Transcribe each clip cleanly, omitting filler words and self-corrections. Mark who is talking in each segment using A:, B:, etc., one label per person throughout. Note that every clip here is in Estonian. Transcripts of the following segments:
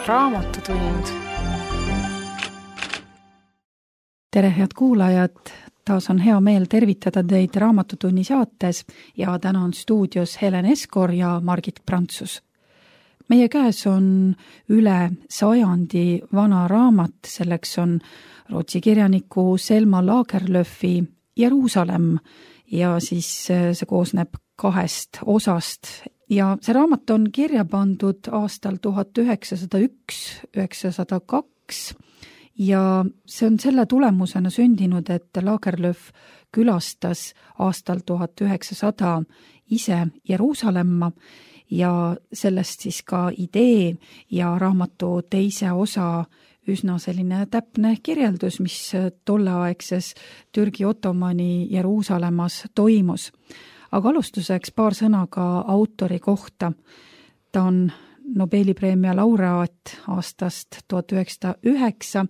A: Raamatutund.
B: Tere, head kuulajad! Taas on hea meel tervitada teid Raamatutunni saates ja täna on stuudios Helen Eskor ja Margit Prantsus. Meie käes on üle 100 vana raamat, selleks on Rootsi kirjaniku Selma Lagerlöfi Jeruusalemm ja siis see koosneb 2 osast. Ja see raamat on kirja pandud aastal 1901-1902 ja see on selle tulemusena sündinud, et Lagerlöf külastas aastal 1900 ise Jeruusalemma ja sellest siis ka idee ja raamatu teise osa üsna selline täpne kirjeldus, mis tolleaegses Türgi Ottomani Jeruusalemmas toimus. Aga alustuseks paar sõna ka autori kohta. Ta on Nobeli preemia laureaat aastast 1909,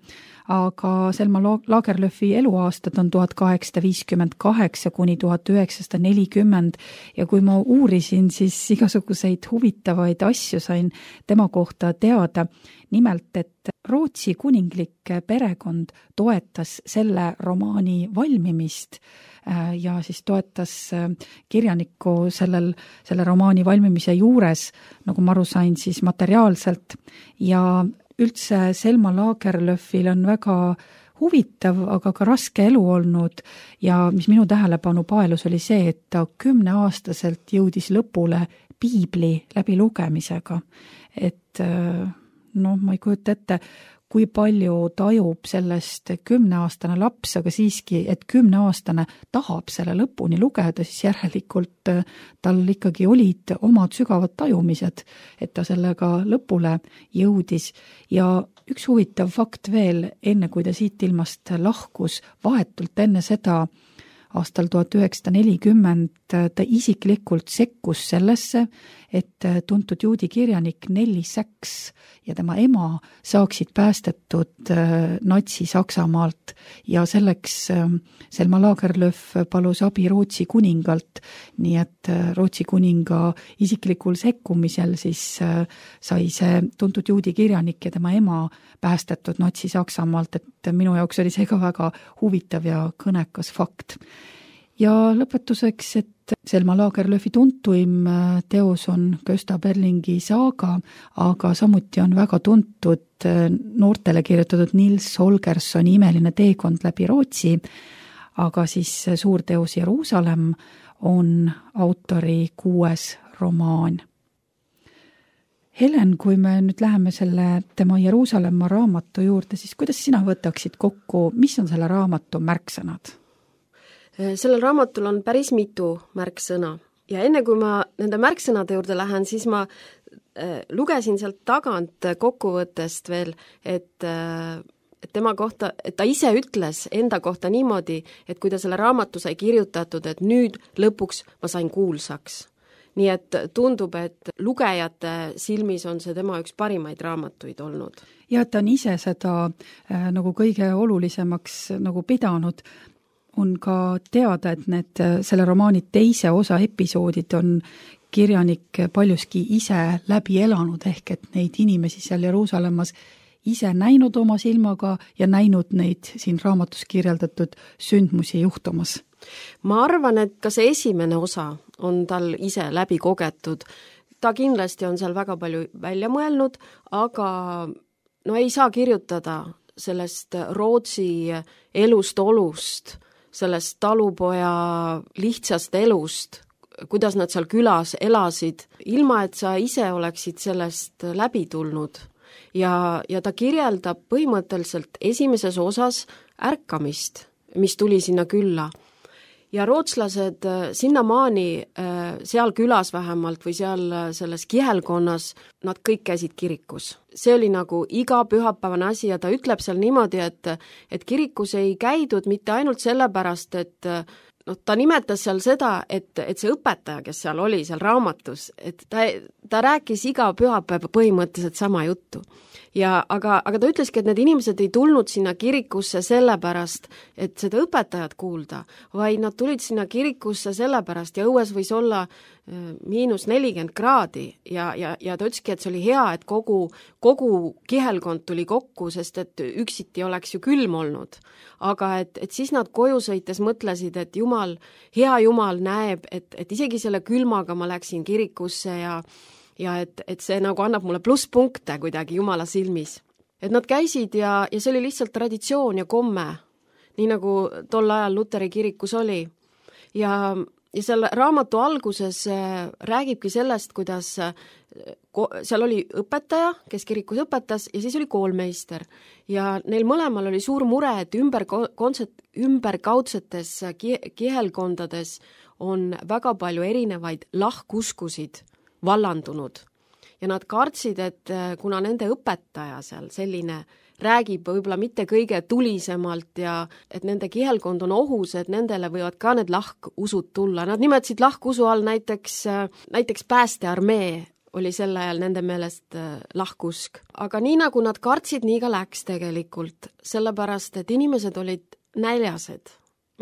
B: aga Selma Lagerlöfi eluaastad on 1858 kuni 1940 ja kui ma uurisin, siis igasuguseid huvitavaid asju sain tema kohta teada. Nimelt, et Rootsi kuninglik perekond toetas selle romaani valmimist ja siis toetas kirjanikku selle romaani valmimise juures, nagu ma aru sain, siis materiaalselt. Ja üldse Selma Lagerlöfil on väga huvitav, aga ka raske elu olnud ja mis minu tähelepanu paelus oli see, et ta 10-aastaselt jõudis lõpule piibli läbi lugemisega. Et ma ei kujuta ette, kui palju tajub sellest 10-aastane laps, aga siiski, et 10-aastane tahab selle lõpuni lugeda, siis järelikult tal ikkagi olid omad sügavad tajumised, et ta sellega lõpule jõudis. Ja üks huvitav fakt veel, enne kui ta siit ilmast lahkus, vahetult enne seda, aastal 1940 ta isiklikult sekkus sellesse, et tuntud juudi kirjanik Nelli Sachs ja tema ema saaksid päästetud Natsi-Saksamaalt ja selleks Selma Lagerlöf palus abi Rootsi kuningalt, nii et Rootsi kuninga isiklikul sekkumisel siis sai see tuntud juudi kirjanik ja tema ema päästetud Natsi-Saksamaalt, et minu jaoks oli see ka väga huvitav ja kõnekas fakt. Ja lõpetuseks, et Selma Lagerlöfi tuntuim teos on Gösta Berlingi saaga, aga samuti on väga tuntud noortele kirjutatud Nils Holgerssoni Imeline teekond läbi Rootsi, aga siis suur teos Jeruusalemm on autori 6. romaan. Helen, kui me nüüd läheme selle tema Jeruusalemma raamatu juurde, siis kuidas sina võtaksid kokku, mis on selle raamatu märksõnad?
C: Sellel raamatul on päris mitu märksõna ja enne kui ma nende märksõnade juurde lähen, siis ma lugesin sealt tagant kokkuvõttest veel, et tema kohta, et ta ise ütles enda kohta niimoodi, et kui ta selle raamatu sai kirjutatud, et nüüd lõpuks ma sain kuulsaks. Nii et tundub, et lugejate silmis on see tema üks parimaid raamatuid olnud.
B: Ja ta on ise seda nagu kõige olulisemaks nagu pidanud. On ka teada, et selle romaani teise osa episoodid on kirjanik paljuski ise läbi elanud, ehk et neid inimesi seal Jeruusalemmas ise näinud oma silmaga ja näinud neid siin raamatus kirjeldatud sündmusi juhtumas.
C: Ma arvan, et ka see esimene osa on tal ise läbi kogetud. Ta kindlasti on seal väga palju välja mõelnud, aga ei saa kirjutada sellest Rootsi elust-olust, sellest talupoja lihtsast elust, kuidas nad seal külas elasid, ilma et sa ise oleksid sellest läbi tulnud. Ja ta kirjeldab põhimõtteliselt esimeses osas ärkamist, mis tuli sinna külla. Ja rootslased sinnamaani seal külas vähemalt või seal selles kihelkonnas, nad kõik käisid kirikus. See oli nagu iga pühapäevane asi ja ta ütleb seal niimoodi, et kirikus ei käidud mitte ainult sellepärast, et ta nimetas seal seda, et see õpetaja, kes seal oli seal raamatus, et ta rääkis iga pühapäeva põhimõtteliselt sama juttu. Aga ta ütleski, et need inimesed ei tulnud sinna kirikusse sellepärast, et seda õpetajat kuulda, vaid nad tulid sinna kirikusse sellepärast ja õues võis olla -40 kraadi ja ta ütleski, et see oli hea, et kogu kihelkond tuli kokku, sest et üksiti oleks ju külm olnud. Aga et siis nad koju sõites mõtlesid, et hea Jumal näeb, et isegi selle külmaga ma läksin kirikusse ja et see nagu annab mulle plusspunkte kuidagi Jumala silmis. Et nad käisid ja see oli lihtsalt traditsioon ja komme, nii nagu tol ajal Luteri kirikus oli. Ja selle raamatu alguses räägibki sellest, kuidas seal oli õpetaja, kes kirikus õpetas, ja siis oli koolmeister. Ja neil mõlemal oli suur mure, et ümberkaudsetes kihelkondades on väga palju erinevaid lahkuskusid vallandunud. Ja nad kartsid, et kuna nende õpetaja seal selline räägib võib-olla mitte kõige tulisemalt ja et nende kihelkond on ohus, et nendele võivad ka need lahkusud tulla. Nad nimetasid lahkusu all näiteks päästearmee oli sel ajal nende meelest lahkusk. Aga nii nagu nad kartsid, nii ka läks tegelikult, sellepärast et inimesed olid näljased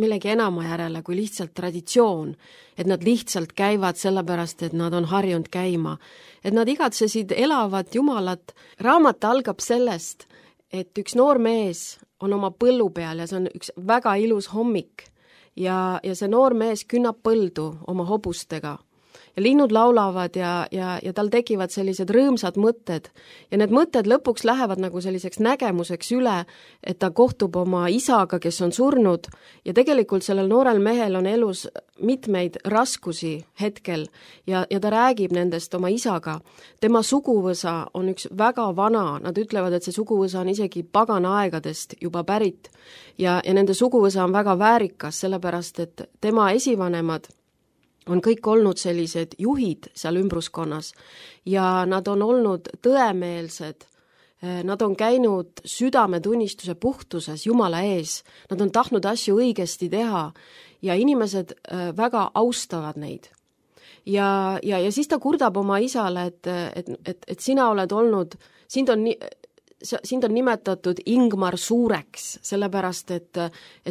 C: millegi enama järele kui lihtsalt traditsioon, et nad lihtsalt käivad sellepärast, et nad on harjunud käima. Et nad igatsesid elavat Jumalat. Raamat algab sellest, et üks noor mees on oma põllu peal ja see on üks väga ilus hommik ja see noor mees künnab põldu oma hobustega. Ja linnud laulavad ja tal tekivad sellised rõõmsad mõtted. Ja need mõtted lõpuks lähevad nagu selliseks nägemuseks üle, et ta kohtub oma isaga, kes on surnud. Ja tegelikult sellel noorel mehel on elus mitmeid raskusi hetkel ja ta räägib nendest oma isaga. Tema suguvõsa on üks väga vana, nad ütlevad, et see suguvõsa on isegi pagana aegadest juba pärit. Ja nende suguvõsa on väga väärikas, sellepärast et tema esivanemad on kõik olnud sellised juhid seal ümbruskonnas ja nad on olnud tõemeelsed, nad on käinud südametunnistuse puhtuses Jumala ees, nad on tahtnud asju õigesti teha ja inimesed väga austavad neid. Ja siis ta kurdab oma isale, et sina oled olnud, sind on nimetatud Ingmar Suureks, sellepärast, et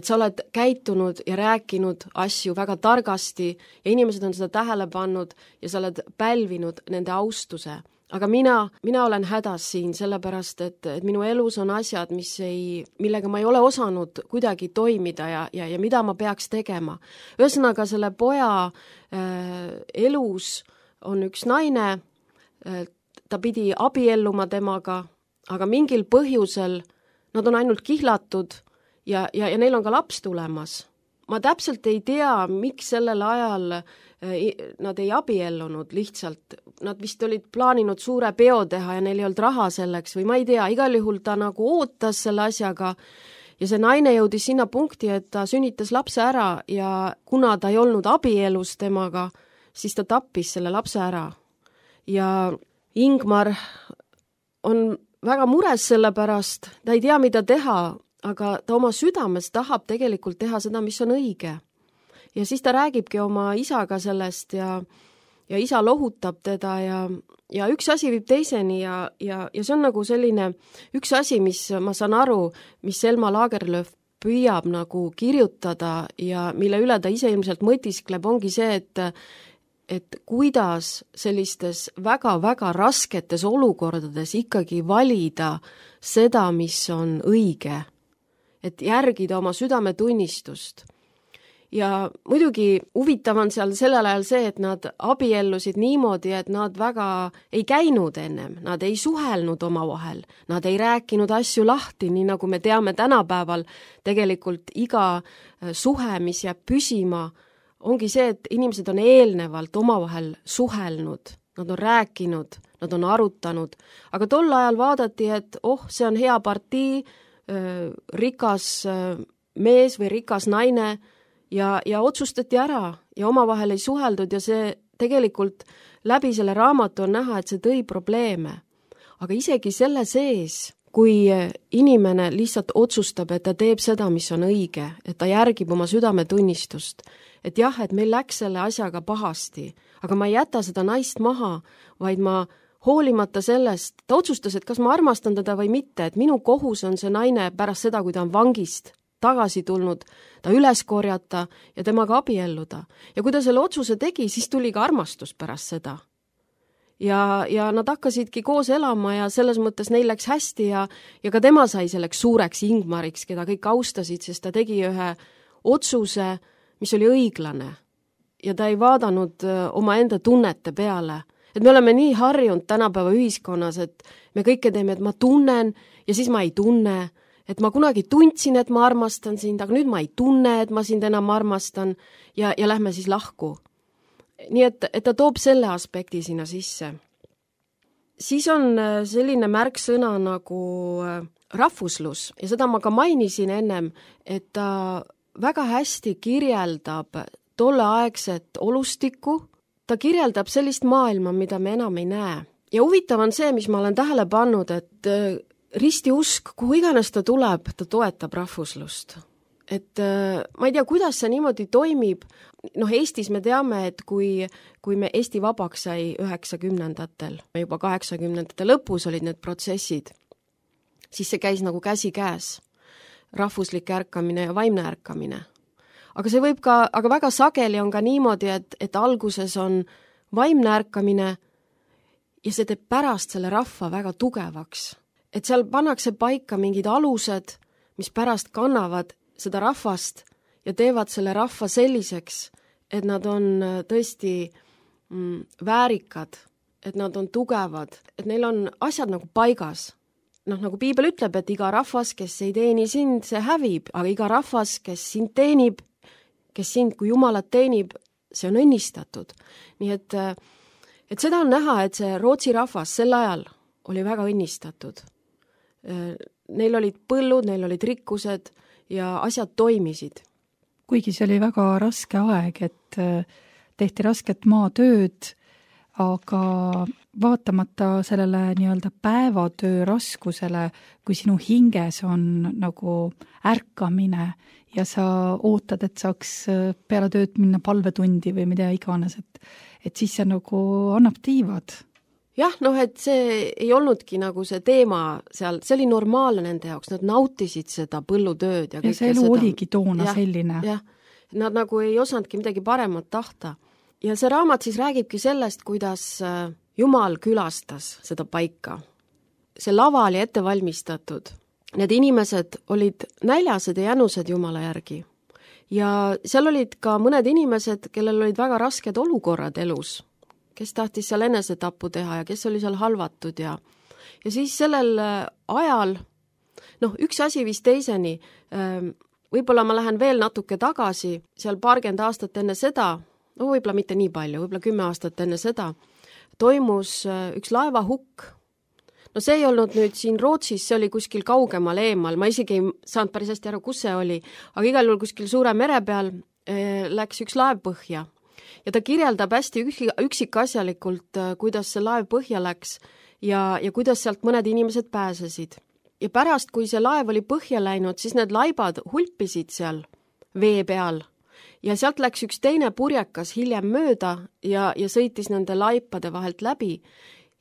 C: sa oled käitunud ja rääkinud asju väga targasti ja inimesed on seda tähele pannud ja sa oled pälvinud nende austuse. Aga mina olen hädas siin, sellepärast, et minu elus on asjad, millega ma ei ole osanud kuidagi toimida ja mida ma peaks tegema. Ühesõnaga, selle poja elus on üks naine, ta pidi abielluma temaga, aga mingil põhjusel nad on ainult kihlatud ja neil on ka laps tulemas. Ma täpselt ei tea, miks sellel ajal nad ei abiellunud lihtsalt. Nad vist olid plaaninud suure peo teha ja neil ei olnud raha selleks või ma ei tea, igal juhul ta nagu ootas selle asjaga ja see naine jõudis sinna punkti, et ta sünnitas lapse ära ja kuna ta ei olnud abielus temaga, siis ta tappis selle lapse ära. Ja Ingmar on väga mures selle pärast, ta ei tea, mida teha, aga ta oma südames tahab tegelikult teha seda, mis on õige. Ja siis ta räägibki oma isaga sellest ja isa lohutab teda ja üks asi viib teiseni ja see on nagu selline üks asi, mis ma saan aru, mis Selma Lagerlöf püüab nagu kirjutada ja mille üle ta ise ilmselt mõtiskleb, ongi see, et kuidas sellistes väga-väga rasketes olukordades ikkagi valida seda, mis on õige, et järgida oma südametunnistust. Ja muidugi huvitav on seal sellel ajal see, et nad abiellusid niimoodi, et nad väga ei käinud ennem, nad ei suhelnud omavahel, nad ei rääkinud asju lahti, nii nagu me teame tänapäeval tegelikult iga suhe, mis jääb püsima, ongi see, et inimesed on eelnevalt omavahel suhelnud, nad on rääkinud, nad on arutanud, aga tol ajal vaadati, et see on hea partii, rikas mees või rikas naine ja otsustati ära ja omavahel ei suheldud ja see tegelikult läbi selle raamatu on näha, et see tõi probleeme. Aga isegi selle sees, kui inimene lihtsalt otsustab, et ta teeb seda, mis on õige, et ta järgib oma südametunnistust, et jah, et meil läks selle asjaga pahasti, aga ma ei jäta seda naist maha, vaid ma hoolimata sellest, ta otsustas, et kas ma armastan teda või mitte, et minu kohus on see naine pärast seda, kui ta on vangist tagasi tulnud, ta üles korjata ja temaga abielluda. Ja kui ta selle otsuse tegi, siis tuli ka armastus pärast seda. Ja nad hakkasidki koos elama ja selles mõttes neil läks hästi ja ka tema sai selleks suureks Ingmariks, keda kõik austasid, sest ta tegi ühe otsuse, mis oli õiglane. Ja ta ei vaadanud oma enda tunnete peale. Et me oleme nii harjunud tänapäeva ühiskonnas, et me kõike teeme, et ma tunnen ja siis ma ei tunne, et ma kunagi tundsin, et ma armastan sind, aga nüüd ma ei tunne, et ma sind enam armastan ja lähme siis lahku. Nii et ta toob selle aspekti sinna sisse. Siis on selline märksõna nagu rahvuslus ja seda ma ka mainisin ennem, et ta väga hästi kirjeldab tolleaegset olustikku, ta kirjeldab sellist maailma, mida me enam ei näe. Ja huvitav on see, mis ma olen tähele pannud, et ristiusk, kuhu iganes ta tuleb, ta toetab rahvuslust. Et ma ei tea, kuidas see niimoodi toimib. Eestis me teame, et kui me Eesti vabaks sai 90-ndatel, juba 80-ndate lõpus olid need protsessid, siis see käis nagu käsi käes. Rahvuslik ärkamine ja vaimne ärkamine. Aga see võib ka, aga väga sageli on ka niimoodi, et alguses on vaimne ärkamine ja see teeb pärast selle rahva väga tugevaks. Et seal pannakse paika mingid alused, mis pärast kannavad seda rahvast ja teevad selle rahva selliseks, et nad on tõesti väärikad, et nad on tugevad, et neil on asjad nagu paigas. Nagu Piibel ütleb, et iga rahvas, kes ei teeni sind, see hävib, aga iga rahvas, kes sind teenib, kes sind kui Jumalat teenib, see on õnnistatud. Nii et seda on näha, et see Rootsi rahvas sel ajal oli väga õnnistatud. Neil olid põllud, neil olid rikkused ja asjad toimisid.
B: Kuigi see oli väga raske aeg, et tehti rasket maatööd, aga vaatamata sellele nii-öelda päevatöö raskusele, kui sinu hinges on nagu ärkamine ja sa ootad, et saaks peale tööd minna palvetundi või mida iganes, et siis see nagu annab tiivad.
C: Jah, et see ei olnudki nagu see teema seal, see oli normaalne nende jaoks, nad nautisid seda põllutööd.
B: Ja see elu oligi toona selline.
C: Jah, nad nagu ei osanudki midagi paremat tahta. Ja see raamat siis räägibki sellest, kuidas Jumal külastas seda paika. See lava oli ette valmistatud. Need inimesed olid näljased ja jänused Jumala järgi. Ja seal olid ka mõned inimesed, kellel olid väga rasked olukorrad elus, kes tahtis seal enesetapu teha ja kes oli seal halvatud ja siis sellel ajal, üks asi vist teiseni, võib-olla ma lähen veel natuke tagasi, seal paarkümmend aastat enne seda, võib-olla mitte nii palju, võib-olla 10 aastat enne seda, toimus üks laevahukk. See ei olnud nüüd siin Rootsis, see oli kuskil kaugemal eemal, ma isegi ei saanud päris hästi aru, kus see oli, aga igal juhul kuskil suure mere peal läks üks laev põhja. Ja ta kirjeldab hästi üksikasjalikult, kuidas see laev põhja läks ja kuidas sealt mõned inimesed pääsesid. Ja pärast, kui see laev oli põhja läinud, siis need laibad hulpisid seal vee peal. Ja sealt läks üks teine purjekas hiljem mööda ja sõitis nende laipade vahelt läbi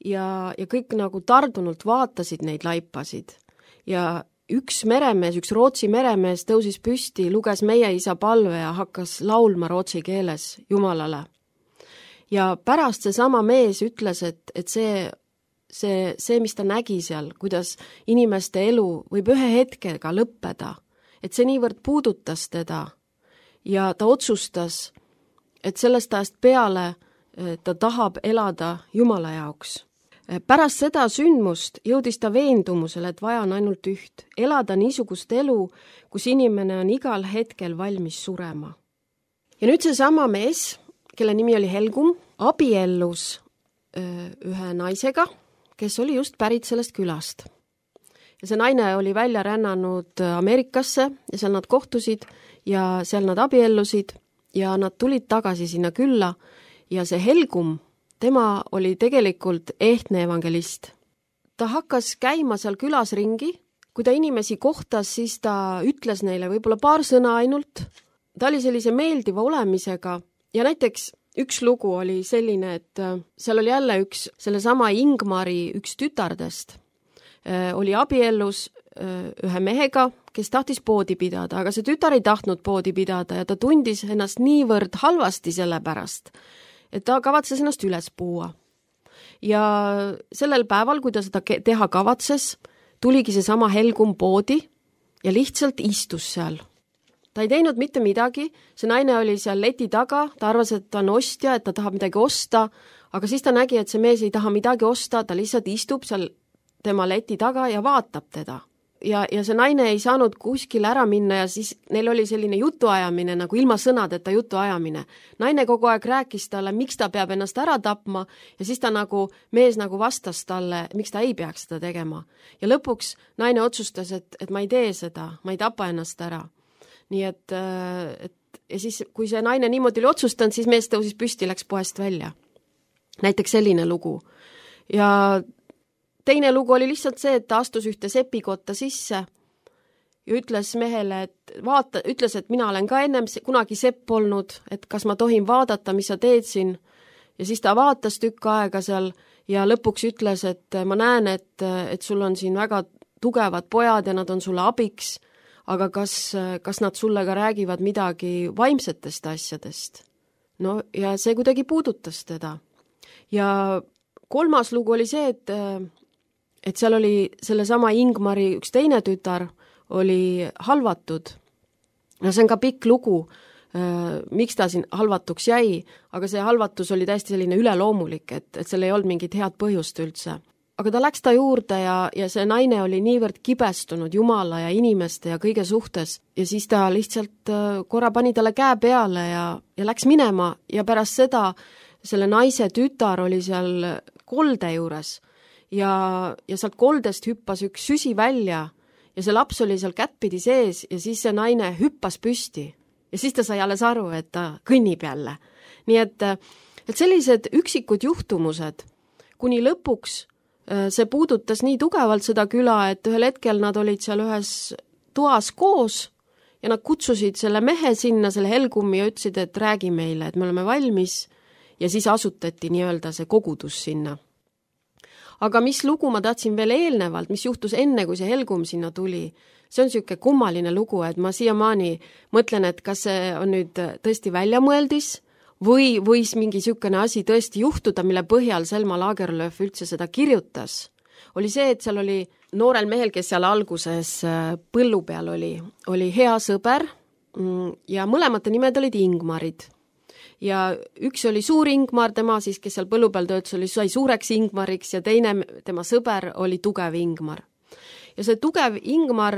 C: ja kõik nagu tardunult vaatasid neid laipasid. Ja üks meremees, üks Rootsi meremees tõusis püsti, luges Meie Isa palve ja hakkas laulma rootsi keeles Jumalale. Ja pärast see sama mees ütles, et see, mis ta nägi seal, kuidas inimeste elu võib ühe hetkega lõppeda, et see niivõrd puudutas teda ja ta otsustas, et sellest ajast peale ta tahab elada Jumala jaoks. Pärast seda sündmust jõudis ta veendumusele, et vaja on ainult üht, elada niisugust elu, kus inimene on igal hetkel valmis surema. Ja nüüd see sama mees, kelle nimi oli Helgum, abiellus ühe naisega, kes oli just pärit sellest külast. Ja see naine oli välja rännanud Ameerikasse ja seal nad kohtusid ja seal nad abiellusid ja nad tulid tagasi sinna külla ja see Helgum, tema oli tegelikult ehtne evangelist. Ta hakkas käima seal külas ringi, kui ta inimesi kohtas, siis ta ütles neile võib-olla paar sõna ainult. Ta oli sellise meeldiva olemisega ja näiteks üks lugu oli selline, et seal oli jälle sellesama Ingmari üks tütardest oli abiellus ühe mehega, kes tahtis poodi pidada, aga see tütar ei tahtnud poodi pidada ja ta tundis ennast niivõrd halvasti selle pärast, et ta kavatses ennast üles puua. Ja sellel päeval, kui ta seda teha kavatses, tuligi seesama Helgum poodi ja lihtsalt istus seal. Ta ei teinud mitte midagi, see naine oli seal leti taga, ta arvas, et ta on ostja, et ta tahab midagi osta, aga siis ta nägi, et see mees ei taha midagi osta, ta lihtsalt istub seal tema leti taga ja vaatab teda. Ja see naine ei saanud kuskil ära minna ja siis neil oli selline jutuajamine, nagu ilma sõnadeta jutuajamine. Naine kogu aeg rääkis talle, miks ta peab ennast ära tapma ja siis mees vastas talle, miks ta ei peaks seda tegema. Ja lõpuks naine otsustas, et ma ei tee seda, ma ei tapa ennast ära. Nii et ja siis, kui see naine niimoodi oli otsustanud, siis mees tõusis püsti, läks poest välja. Näiteks selline lugu. Ja teine lugu oli lihtsalt see, et ta astus ühte sepikotta sisse ja ütles mehele, ütles, et mina olen ka ennem kunagi sepp olnud, et kas ma tohin vaadata, mis sa teed siin. Ja siis ta vaatas tükk aega seal ja lõpuks ütles, et ma näen, et sul on siin väga tugevad pojad ja nad on sulle abiks, aga kas nad sulle ka räägivad midagi vaimsetest asjadest? No ja see kuidagi puudutas teda. Ja kolmas lugu oli see, et seal oli sellesama Ingmari üks teine tütar oli halvatud. No see on ka pikk lugu, miks ta siin halvatuks jäi, aga see halvatus oli täiesti selline üleloomulik, et seal ei olnud mingit head põhjust üldse. Aga ta läks ta juurde ja see naine oli niivõrd kibestunud Jumala ja inimeste ja kõige suhtes ja siis ta lihtsalt korra pani talle käe peale ja läks minema ja pärast seda selle naise tütar oli seal kolde juures ja sealt koldest hüppas üks süsi välja ja see laps oli seal kättpidi sees ja siis see naine hüppas püsti ja siis ta sai alles aru, et ta kõnnib jälle. Nii et sellised üksikud juhtumused, kuni lõpuks see puudutas nii tugevalt seda küla, et ühel hetkel nad olid seal ühes toas koos ja nad kutsusid selle mehe sinna, selle Helgumi ja ütlesid, et räägi meile, et me oleme valmis ja siis asutati nii-öelda see kogudus sinna. Aga mis lugu ma tahtsin veel eelnevalt, mis juhtus enne, kui see Helgum sinna tuli, see on selline kummaline lugu, et ma siiamaani mõtlen, et kas see on nüüd tõesti väljamõeldis või võis mingi niisugune asi tõesti juhtuda, mille põhjal Selma Lagerlöf üldse seda kirjutas, oli see, et seal oli noorel mehel, kes seal alguses põllu peal oli hea sõber ja mõlemate nimed olid Ingmarid. Ja üks oli suur Ingmar, tema siis, kes seal põllu peal töötas, sai suureks Ingmariks ja teine, tema sõber, oli tugev Ingmar. Ja see tugev Ingmar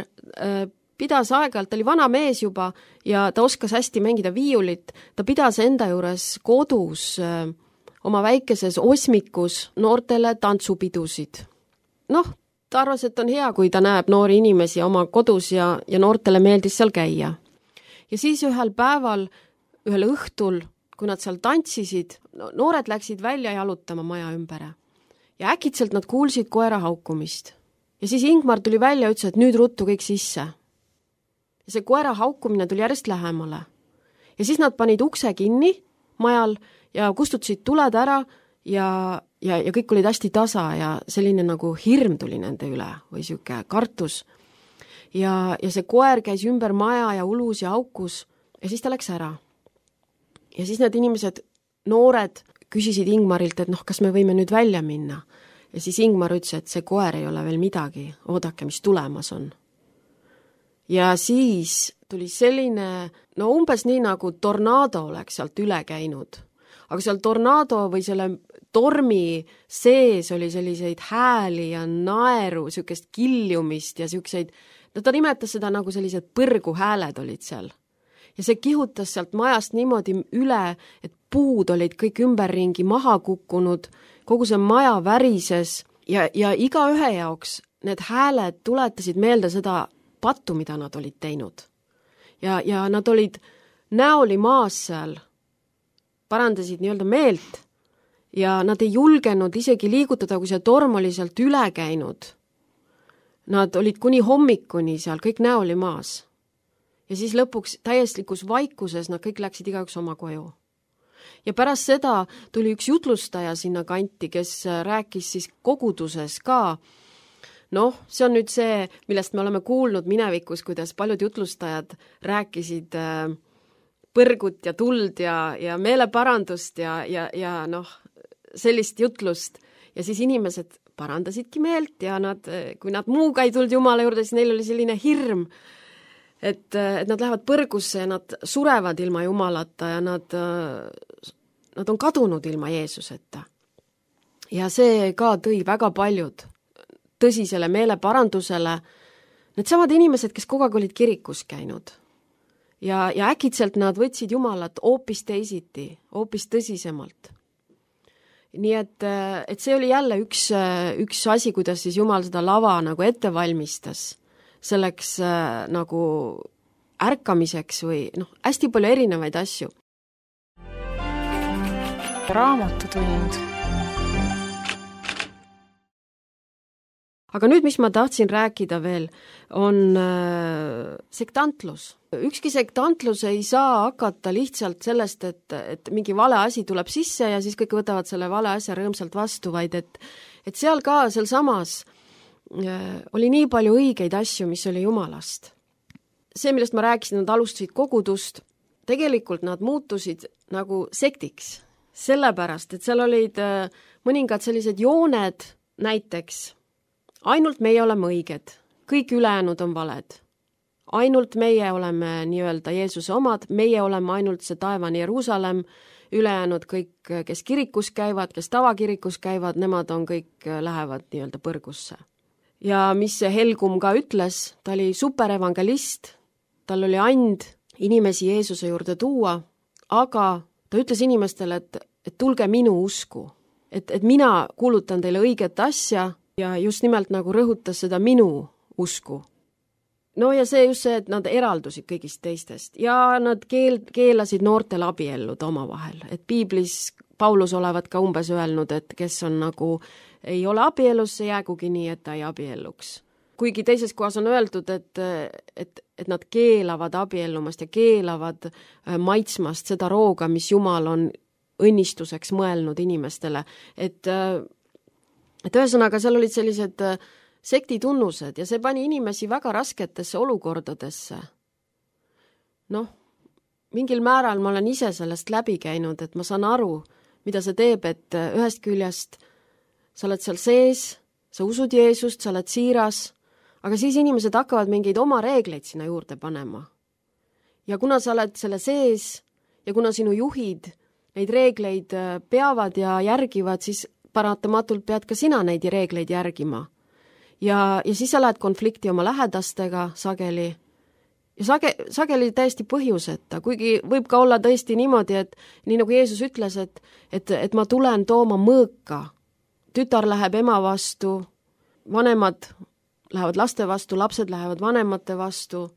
C: pidas aeg-ajalt, ta oli vana mees juba ja ta oskas hästi mängida viiulit, ta pidas enda juures kodus oma väikeses osmikus noortele tantsupidusid. Noh, ta arvas, et on hea, kui ta näeb noori inimesi oma kodus ja noortele meeldis seal käia. Ja siis ühel päeval, ühel õhtul, kui nad seal tantsisid, noored läksid välja jalutama maja ümbere ja äkitselt nad kuulsid koera haukumist. Ja siis Ingmar tuli välja ja ütles, et nüüd ruttu kõik sisse. Ja see koera haukumine tuli järjest lähemale. Ja siis nad panid ukse kinni majal ja kustutasid tuled ära ja kõik olid hästi tasa ja selline nagu hirm tuli nende üle või siuke kartus. Ja see koer käis ümber maja ja ulus ja haukus ja siis ta läks ära. Ja siis need inimesed, noored, küsisid Ingmarilt, et kas me võime nüüd välja minna. Ja siis Ingmar ütles, et see koer ei ole veel midagi, oodake, mis tulemas on. Ja siis tuli selline, umbes nii nagu tornaado oleks sealt üle käinud. Aga seal tornaado või selle tormi sees oli selliseid hääli ja naeru, siukest kiljumist ja siukseid, ta nimetas seda nagu sellised põrguhääled olid seal. Ja see kihutas sealt majast niimoodi üle, et puud olid kõik ümberringi maha kukkunud, kogu see maja värises ja iga ühe jaoks need hääled tuletasid meelde seda pattu, mida nad olid teinud. Ja nad olid näoli maas seal, parandasid nii-öelda meelt ja nad ei julgenud isegi liigutada, kui see torm oli sealt üle käinud. Nad olid kuni hommikuni seal, kõik näoli maas. Ja siis lõpuks täiestlikus vaikuses nad kõik läksid igaüks oma koju. Ja pärast seda tuli üks jutlustaja sinna kanti, kes rääkis siis koguduses ka Noh, see on nüüd see, millest me oleme kuulnud minevikus, kuidas paljud jutlustajad rääkisid põrgut ja tuld ja meeleparandust ja noh, sellist jutlust. Ja siis inimesed parandasidki meelt ja kui nad muuga ei tulnud Jumala juurde, siis neil oli selline hirm, et nad lähevad põrgusse ja nad surevad ilma Jumalata ja nad on kadunud ilma Jeesuseta. Ja see ka tõi väga paljud tõsisele meeleparandusele. Need samad inimesed, kes kogu aeg olid kirikus käinud. Ja äkitselt nad võtsid Jumalat hoopis teisiti, hoopis tõsisemalt. Nii et see oli jälle üks asi, kuidas siis Jumal seda lava nagu ette valmistas selleks nagu ärkamiseks või hästi palju erinevaid asju.
A: Raamatutund.
C: Aga nüüd, mis ma tahtsin rääkida veel, on sektantlus. Ükski sektantlus ei saa hakata lihtsalt sellest, et mingi vale asi tuleb sisse ja siis kõik võtavad selle vale asja rõõmsalt vastu, vaid et seal ka, seal samas oli nii palju õigeid asju, mis oli Jumalast. See, millest ma rääkisin, nad alustasid kogudust, tegelikult nad muutusid nagu sektiks, sellepärast, et seal olid mõningad sellised jooned näiteks. Ainult meie oleme õiged, kõik ülejäänud on valed. Ainult meie oleme nii-öelda Jeesuse omad, meie oleme ainult see taevani Jeruusalemm, ülejäänud kõik, kes kirikus käivad, kes tavakirikus käivad, nemad on kõik, lähevad nii-öelda põrgusse. Ja mis see Helgum ka ütles, ta oli superevangelist, tal oli and inimesi Jeesuse juurde tuua, aga ta ütles inimestele, et tulge minu usku, et mina kuulutan teile õiget asja, ja just nimelt nagu rõhutas seda minu usku. No ja see just see, et nad eraldusid kõigist teistest ja nad keelasid noortel abielluda omavahel. Et piiblis Paulus olevat ka umbes öelnud, et kes on nagu ei ole abielus, see jäägugi nii, et ta ei abielluks. Kuigi teises kohas on öeldud, et nad keelavad abiellumast ja keelavad maitsmast seda rooga, mis Jumal on õnnistuseks mõelnud inimestele. Et ühesõnaga, seal olid sellised sektitunnused ja see pani inimesi väga rasketesse olukordadesse. Noh, mingil määral ma olen ise sellest läbi käinud, et ma saan aru, mida see teeb, et ühest küljest sa oled seal sees, sa usud Jeesust, sa oled siiras, aga siis inimesed hakkavad mingeid oma reegleid sinna juurde panema. Ja kuna sa oled selle sees ja kuna sinu juhid neid reegleid peavad ja järgivad, siis paratamatult pead ka sina neid reegleid järgima. Ja siis sa lähed konflikti oma lähedastega sageli. Ja sageli täiesti põhjuseta, kuigi võib ka olla tõesti niimoodi, et nii nagu Jeesus ütles, et ma tulen tooma mõõka. Tütar läheb ema vastu, vanemad lähevad laste vastu, lapsed lähevad vanemate vastu.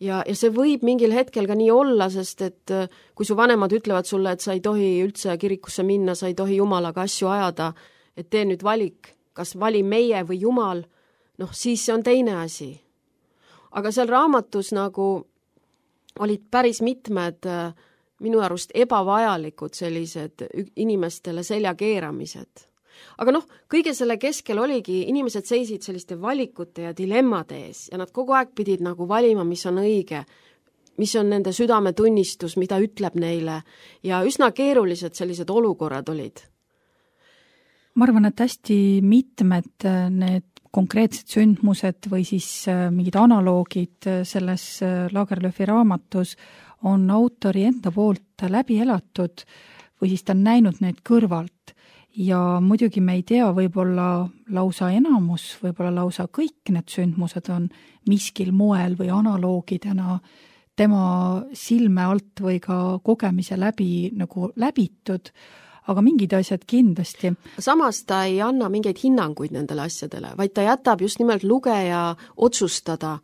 C: Ja see võib mingil hetkel ka nii olla, sest et kui su vanemad ütlevad sulle, et sa ei tohi üldse kirikusse minna, sa ei tohi Jumalaga asju ajada, et tee nüüd valik, kas vali meie või Jumal, siis see on teine asi. Aga seal raamatus nagu olid päris mitmed minu arust ebavajalikud sellised inimestele selja keeramised. Aga kõige selle keskel oligi, inimesed seisid selliste valikute ja dilemmade ees ja nad kogu aeg pidid nagu valima, mis on õige, mis on nende südametunnistus, mida ütleb neile ja üsna keerulised sellised olukorrad olid.
B: Ma arvan, et hästi mitmed need konkreetsed sündmused või siis mingid analoogid selles Lagerlöfi raamatus on autori enda poolt läbi elatud või siis ta on näinud neid kõrvalt. Ja muidugi me ei tea, võib-olla lausa enamus, võib-olla lausa kõik need sündmused on miskil moel või analoogidena tema silme alt või ka kogemise läbi nagu läbitud, aga mingid asjad kindlasti.
C: Samas ta ei anna mingeid hinnanguid nendele asjadele, vaid ta jätab just nimelt lugeja otsustada,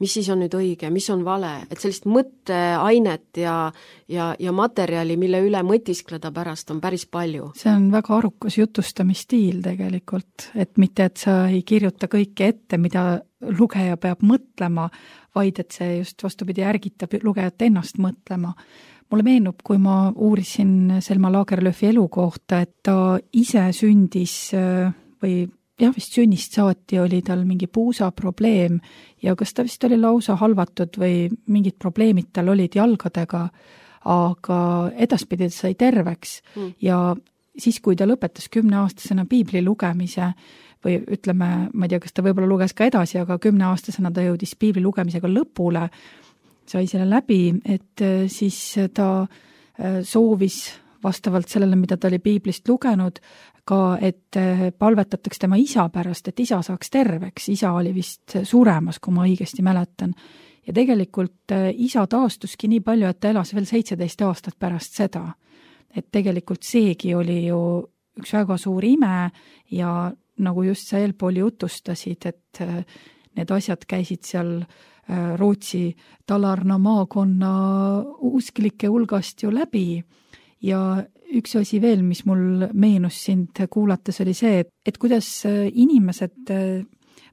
C: mis siis on nüüd õige, mis on vale, et sellist mõtteainet ja materjali, mille üle mõtiskleda pärast on päris palju.
B: See on väga arukas jutustamisstiil tegelikult, et mitte, et sa ei kirjuta kõike ette, mida lugeja peab mõtlema, vaid et see just vastupidi ärgitab lugejat ennast mõtlema. Mulle meenub, kui ma uurisin Selma Lagerlöfi elu kohta, et ta ise sündis või vist sünnist saati oli tal mingi puusaprobleem ja kas ta vist oli lausa halvatud või mingid probleemid tal olid jalgadega, aga edaspidi ta sai terveks ja siis, kui ta lõpetas 10-aastasena piibli lugemise või ütleme, ma ei tea, kas ta võib-olla luges ka edasi, aga 10-aastasena ta jõudis piibli lugemisega lõpule, sai selle läbi, et siis ta soovis vastavalt sellele, mida ta oli piiblist lugenud, ka et palvetataks tema isa pärast, et isa saaks terveks. Isa oli vist suremas, kui ma õigesti mäletan. Ja tegelikult isa taastuski nii palju, et ta elas veel 17 aastat pärast seda. Et tegelikult seegi oli ju üks väga suur ime ja nagu just sa eelpool jutustasid, et need asjad käisid seal Rootsi Talarna maakonna usklike hulgast ju läbi ja üks asi veel, mis mul meenus sind kuulates, oli see, et kuidas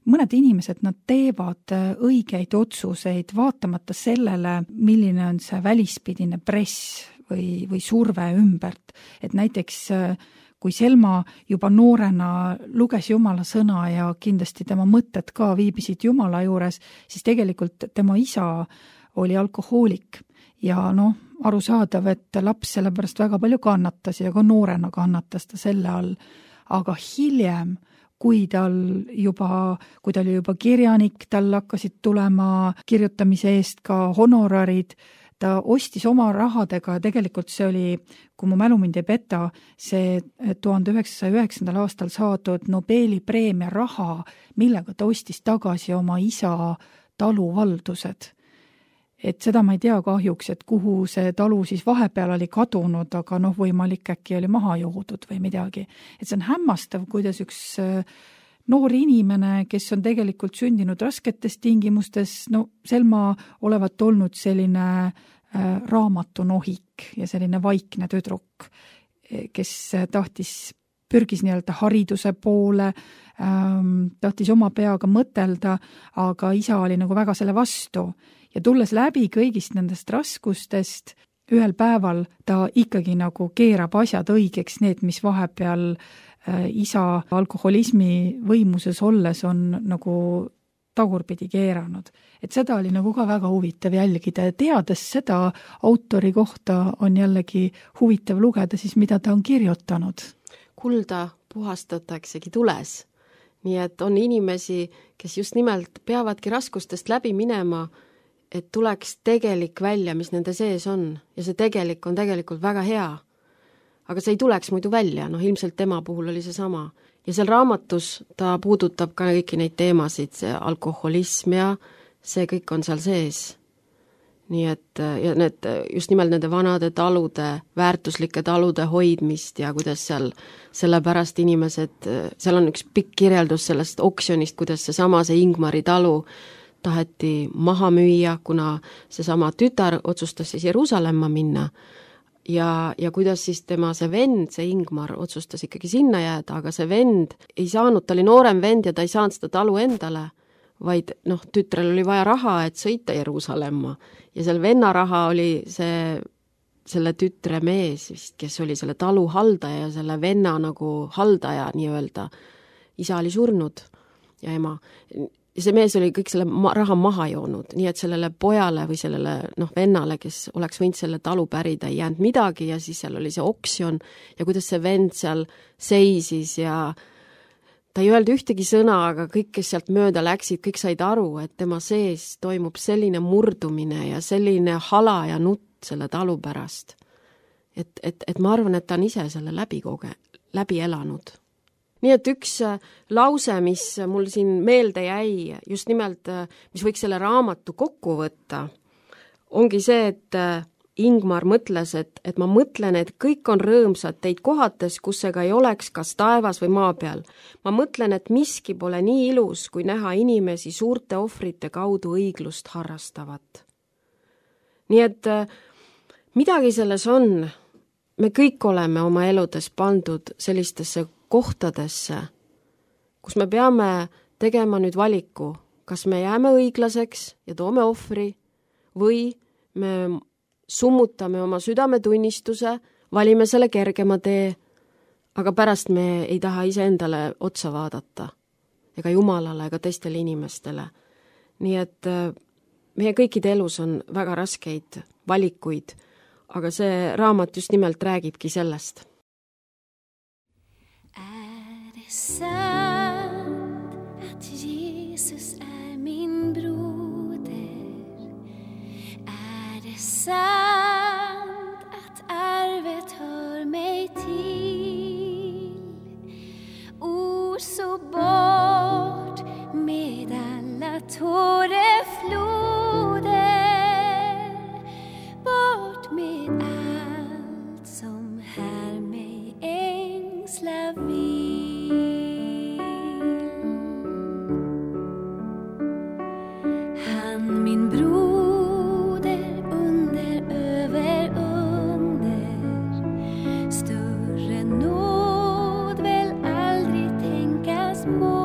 B: mõned inimesed, nad teevad õigeid otsuseid vaatamata sellele, milline on see välispidine press või surve ümbert. Et näiteks kui Selma juba noorena luges Jumala sõna ja kindlasti tema mõtted ka viibisid Jumala juures, siis tegelikult tema isa oli alkohoolik ja arusaadav, et laps sellepärast väga palju kannatas ja ka noorena kannatas ta selle all. Aga hiljem, kui ta oli juba kirjanik, tal hakkasid tulema kirjutamise eest ka honorarid, ta ostis oma rahadega ja tegelikult see oli, kui mu mälu mind ei peta, see 1909. aastal saadud Nobeli preemia raha, millega ta ostis tagasi oma isa taluvaldused. Et seda ma ei tea kahjuks, et kuhu see talu siis vahepeal oli kadunud, aga võimalik äkki oli maha joodud või midagi. Et see on hämmastav, kuidas üks noor inimene, kes on tegelikult sündinud rasketes tingimustes, Selma olevat olnud selline raamatunohik ja selline vaikne tüdruk, kes pürgis nii-öelda hariduse poole, tahtis oma peaga mõtelda, aga isa oli nagu väga selle vastu. Ja tulles läbi kõigist nendest raskustest, ühel päeval ta ikkagi nagu keerab asjad õigeks, need, mis vahepeal isa alkoholismi võimuses olles on nagu tagurpidi keeranud. Et seda oli nagu ka väga huvitav jälgida ja teades seda autori kohta on jällegi huvitav lugeda siis, mida ta on kirjutanud.
C: Kulda puhastataksegi tules. Nii et on inimesi, kes just nimelt peavadki raskustest läbi minema, et tuleks tegelik välja, mis nende sees on. Ja see tegelik on tegelikult väga hea. Aga see ei tuleks muidu välja, ilmselt tema puhul oli see sama. Ja seal raamatus ta puudutab ka kõiki neid teemasid, see alkoholism ja see kõik on seal sees. Nii et ja need, just nimelt nende vanade talude, väärtuslike talude hoidmist ja kuidas seal sellepärast inimesed, seal on üks pikk kirjeldus sellest oksjonist, kuidas see Ingmari talu taheti maha müüa, kuna see sama tütar otsustas siis Jeruusalemma minna ja kuidas siis tema see vend, see Ingmar otsustas ikkagi sinna jääda, aga see vend ei saanud, ta oli noorem vend ja ta ei saanud seda talu endale, vaid tütrel oli vaja raha, et sõita Jeruusalemma ja seal venna raha oli selle tütre mees vist, kes oli selle talu haldaja ja selle venna nagu haldaja nii-öelda. Isa oli surnud ja ema. Ja see mees oli kõik selle raha maha joonud, nii et sellele pojale või sellele vennale, kes oleks võinud selle talu pärida, ei jäänud midagi ja siis seal oli see oksjon ja kuidas see vend seal seisis ja ta ei öelnud ühtegi sõna, aga kõik, kes sealt mööda läksid, kõik said aru, et tema sees toimub selline murdumine ja selline hala ja nutt selle talu pärast. Et ma arvan, et ta on ise selle läbi elanud. Nii et üks lause, mis mul siin meelde jäi, just nimelt, mis võiks selle raamatu kokku võtta, ongi see, et Ingmar mõtles, et ma mõtlen, et kõik on rõõmsad teid kohates, kus ega ei oleks kas taevas või maa peal. Ma mõtlen, et miski pole nii ilus, kui näha inimesi suurte ohvrite kaudu õiglust harrastavat. Nii et midagi selles on. Me kõik oleme oma eludes pandud sellistesse kohtadesse, kus me peame tegema nüüd valiku, kas me jääme õiglaseks ja toome ohvri või me summutame oma südametunnistuse, valime selle kergema tee, aga pärast me ei taha iseendale otsa vaadata ega Jumalale ega teistele inimestele. Nii et meie kõikide elus on väga raskeid valikuid, aga see raamat just nimelt räägibki sellest.
D: Sant att Jesus min broder? Det sant att arvet hör mig till? Så bort med alla tårefloder, bort med allt som här mig ängsla vill. Han min broder under över under, större nåd väl aldrig tänkas må,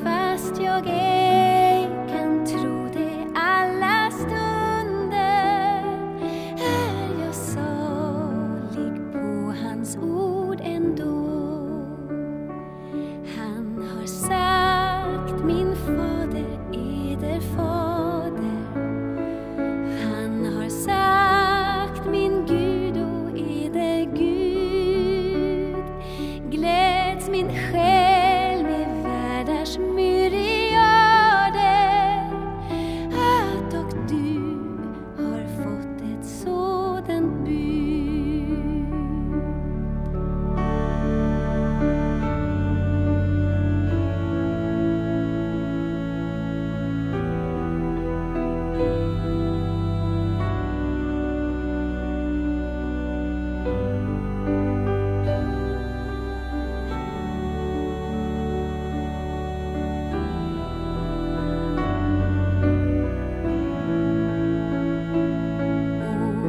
D: fast jag ej kan tro det alla stunder, är jag salig på hans ord ändå. Han har sagt min fader, eder fader, han har sagt min Gud och eder Gud, gläds min själ med världars myriader, att och du har fått ett sådant bud.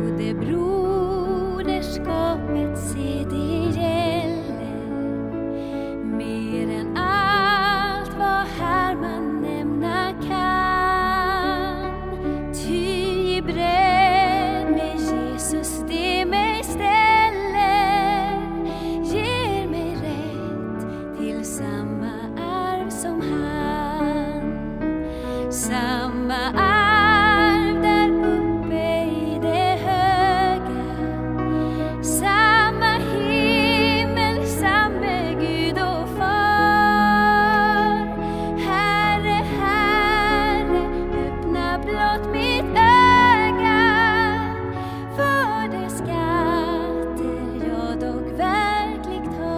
D: Och det broderskapet, se det gäller mer än allt vad här man nämna kan. Ty i bredd med Jesus det mig ställer, ger mig rätt till samma arv som han. Samma arv där uppe i det höga, samma himmel, samme Gud och far. Herre, Herre, öppna blott mitt öga för de skatter jag dock verkligt har.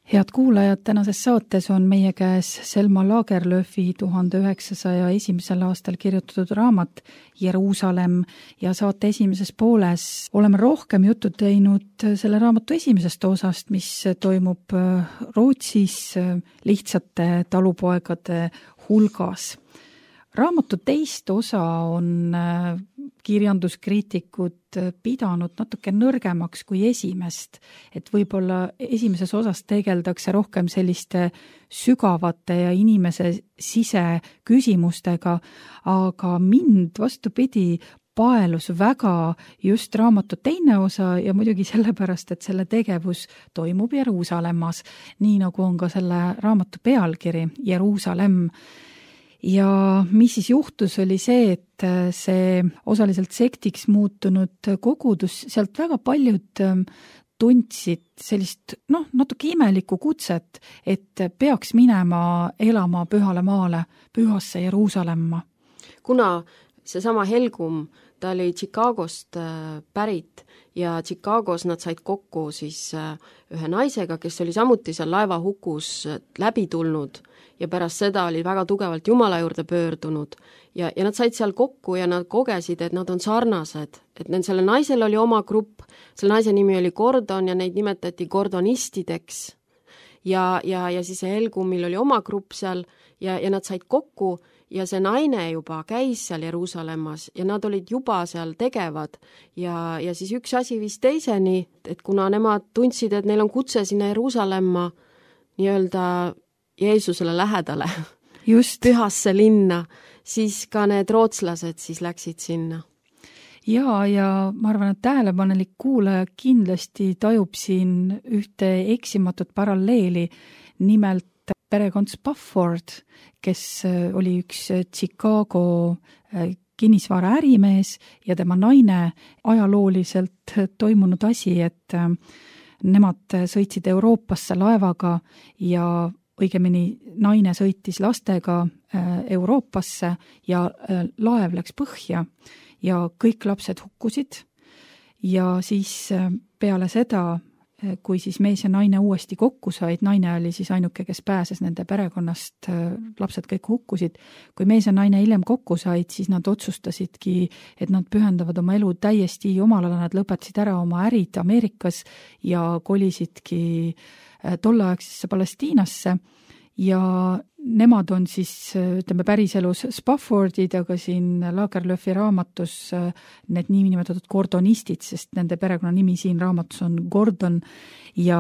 B: Head kuulajad, tänases saates on meie käes Selma Lagerlöfi 1901. aastal kirjutatud raamat Jeruusalemm ja saate esimeses pooles oleme rohkem juttu teinud selle raamatu esimesest osast, mis toimub Rootsis lihtsate talupoegade hulgas. Raamatu teist osa on kirjanduskriitikud pidanud natuke nõrgemaks kui esimest, et võib-olla esimeses osas tegeldakse rohkem selliste sügavate ja inimese siseküsimustega, aga mind vastupidi paelus väga just raamatu teine osa ja muidugi sellepärast, et selle tegevus toimub Jeruusalemmas, nii nagu on ka selle raamatu pealkiri Jeruusalemm. Ja mis siis juhtus, oli see, et see osaliselt sektiks muutunud kogudus, sealt väga paljud tundsid sellist natuke imelikku kutset, et peaks minema elama pühale maale, pühasse Jeruusalemma.
C: Kuna seesama Helgum, ta oli Chicagost pärit ja Chicagos nad said kokku siis ühe naisega, kes oli samuti seal laevahukus läbi tulnud ja pärast seda oli väga tugevalt Jumala juurde pöördunud ja nad said seal kokku ja nad kogesid, et nad on sarnased, et selle naisel oli oma grupp, selle naise nimi oli Gordon ja neid nimetati gordonistideks ja siis Helgumil oli oma grupp seal ja nad said kokku ja see naine juba käis seal Jeruusalemmas ja nad olid juba seal tegevad ja siis üks asi viis teiseni, et kuna nemad tundsid, et neil on kutse sinna Jeruusalemma nii-öelda Jeesusele lähedale, just pühasse linna, siis ka need rootslased siis läksid sinna.
B: Ja ma arvan, et tähelepanelik kuulaja kindlasti tajub siin ühte eksimatut paralleeli, nimelt perekond Spafford, kes oli üks Chicago kinnisvara ärimees ja tema naine, ajalooliselt toimunud asi, et nemad sõitsid Euroopasse laevaga ja õigemini naine sõitis lastega Euroopasse ja laev läks põhja ja kõik lapsed hukkusid ja siis peale seda, kui siis mees ja naine uuesti kokku said, naine oli siis ainuke, kes pääses nende perekonnast, lapsed kõik hukkusid. Kui mees ja naine hiljem kokku said, siis nad otsustasidki, et nad pühendavad oma elu täiesti Jumalale, nad lõpetasid ära oma ärid Ameerikas ja kolisidki tolleaegsesse Palestiinasse ja nemad on siis, ütleme, päriselus Spaffordid, aga siin Lagerlöfi raamatus need niinimetatud gordonistid, sest nende perekonnanimi siin raamatus on Gordon ja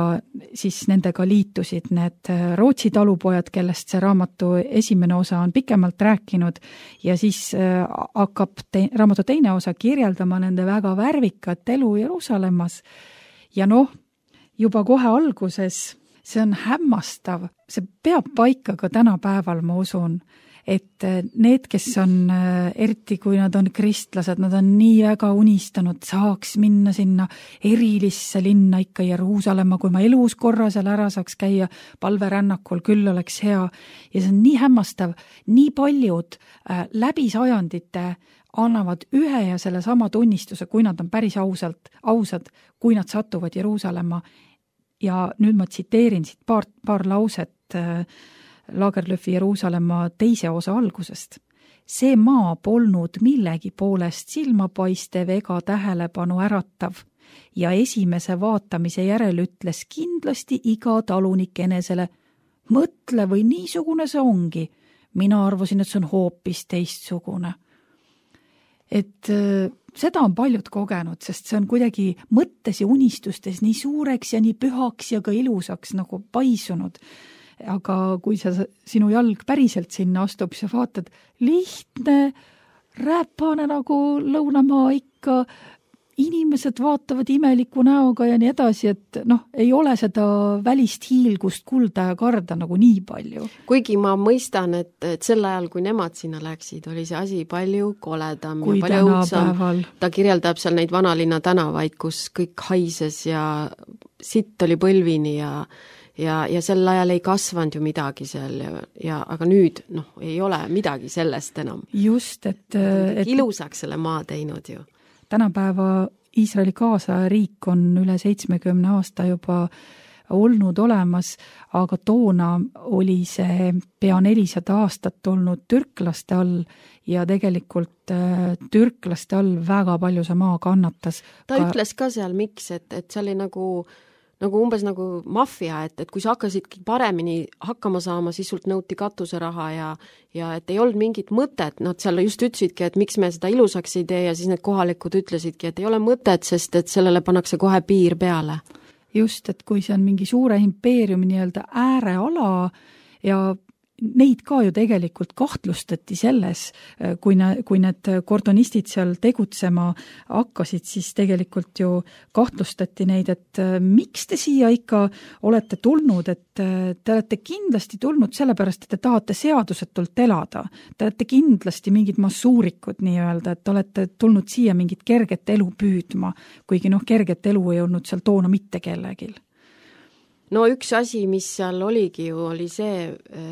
B: siis nendega liitusid need Rootsi talupojad, kellest see raamatu esimene osa on pikemalt rääkinud ja siis hakkab raamatu teine osa kirjeldama nende väga värvikat elu Jeruusalemmas ja juba kohe alguses see on hämmastav, see peab paika ka tänapäeval, ma usun, et need, kes on, eriti kui nad on kristlased, nad on nii väga unistanud, saaks minna sinna erilisse linna ikka Jeruusalemma, kui ma elus korra seal ära saaks käia palverännakul, küll oleks hea. Ja see on nii hämmastav, nii paljud läbi sajandite annavad ühe ja selle sama tunnistuse, kui nad on päris ausad, kui nad satuvad Jeruusalemma. Ja nüüd ma tsiteerin siit paar lauset Lagerlöfi Jeruusalemma teise osa algusest. See maa polnud millegi poolest silmapaistev ega tähelepanu äratav ja esimese vaatamise järel ütles kindlasti iga talunik enesele, mõtle või niisugune see ongi. Mina arvasin, et see on hoopis teistsugune. Et seda on paljud kogenud, sest see on kuidagi mõttes ja unistustes nii suureks ja nii pühaks ja ka ilusaks nagu paisunud. Aga kui sinu jalg päriselt sinna astub, sa vaatad lihtne, räpane nagu lõunamaa ikka, inimesed vaatavad imeliku näoga ja nii edasi, et ei ole seda välist hiilgust kulda ja karda nagu nii palju.
C: Kuigi ma mõistan, et sel ajal, kui nemad sinna läksid, oli see asi palju koledam
B: kui
C: ja palju õudsam. Ta kirjeldab seal neid vanalinna tänavaid, kus kõik haises ja sitt oli põlvini ja sel ajal ei kasvanud ju midagi seal aga nüüd ei ole midagi sellest enam.
B: Just, et
C: ilusaks selle maa teinud ju.
B: Tänapäeva Iisraeli kaasariik on üle 70 aasta juba olnud olemas, aga toona oli see pea 400 aastat olnud türklaste all ja tegelikult türklaste all väga palju see maa kannatas.
C: Ta ütles ka seal miks, et see oli nagu umbes nagu maffia, et kui sa hakkasidki paremini hakkama saama, siis sult nõuti katuseraha ja et ei olnud mingit mõtet, nad seal just ütlesidki, et miks me seda ilusaks ei tee ja siis need kohalikud ütlesidki, et ei ole mõtet, sest et sellele pannakse kohe piir peale.
B: Just, et kui see on mingi suure impeeriumi nii-öelda ääreala ja neid ka ju tegelikult kahtlustati selles, kui need kordonistid seal tegutsema hakkasid, siis tegelikult ju kahtlustati neid, et miks te siia ikka olete tulnud, et te olete kindlasti tulnud sellepärast, et te tahate seadusetult elada. Te olete kindlasti mingid massuurikud nii-öelda, et olete tulnud siia mingit kerget elu püüdma, kuigi kerget elu ei olnud seal toona mitte kellegil.
C: No üks asi, mis seal oligi ju, oli see,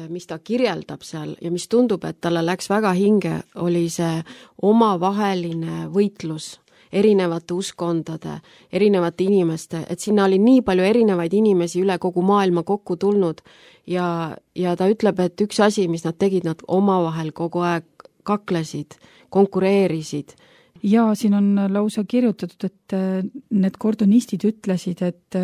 C: mis ta kirjeldab seal ja mis tundub, et talle läks väga hinge, oli see omavaheline võitlus erinevate uskondade, erinevate inimeste, et sinna oli nii palju erinevaid inimesi üle kogu maailma kokku tulnud ja ta ütleb, et üks asi, mis nad tegid, nad omavahel kogu aeg kaklesid, konkureerisid.
B: Ja siin on lausa kirjutatud, et need kordonistid ütlesid, et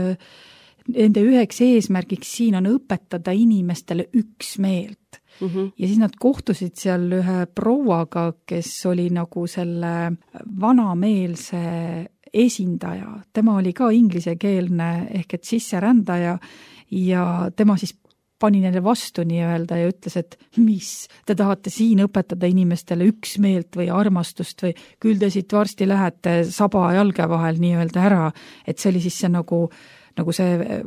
B: nende üheks eesmärgiks siin on õpetada inimestele üksmeelt. Ja siis nad kohtusid seal ühe prouaga, kes oli nagu selle vanameelse esindaja. Tema oli ka inglisekeelne ehk et sisserändaja ja tema siis pani neile vastu nii-öelda ja ütles, et mis, te tahate siin õpetada inimestele üksmeelt või armastust või küll te siit varsti lähete saba jalge vahel nii-öelda ära, et see oli siis see nagu see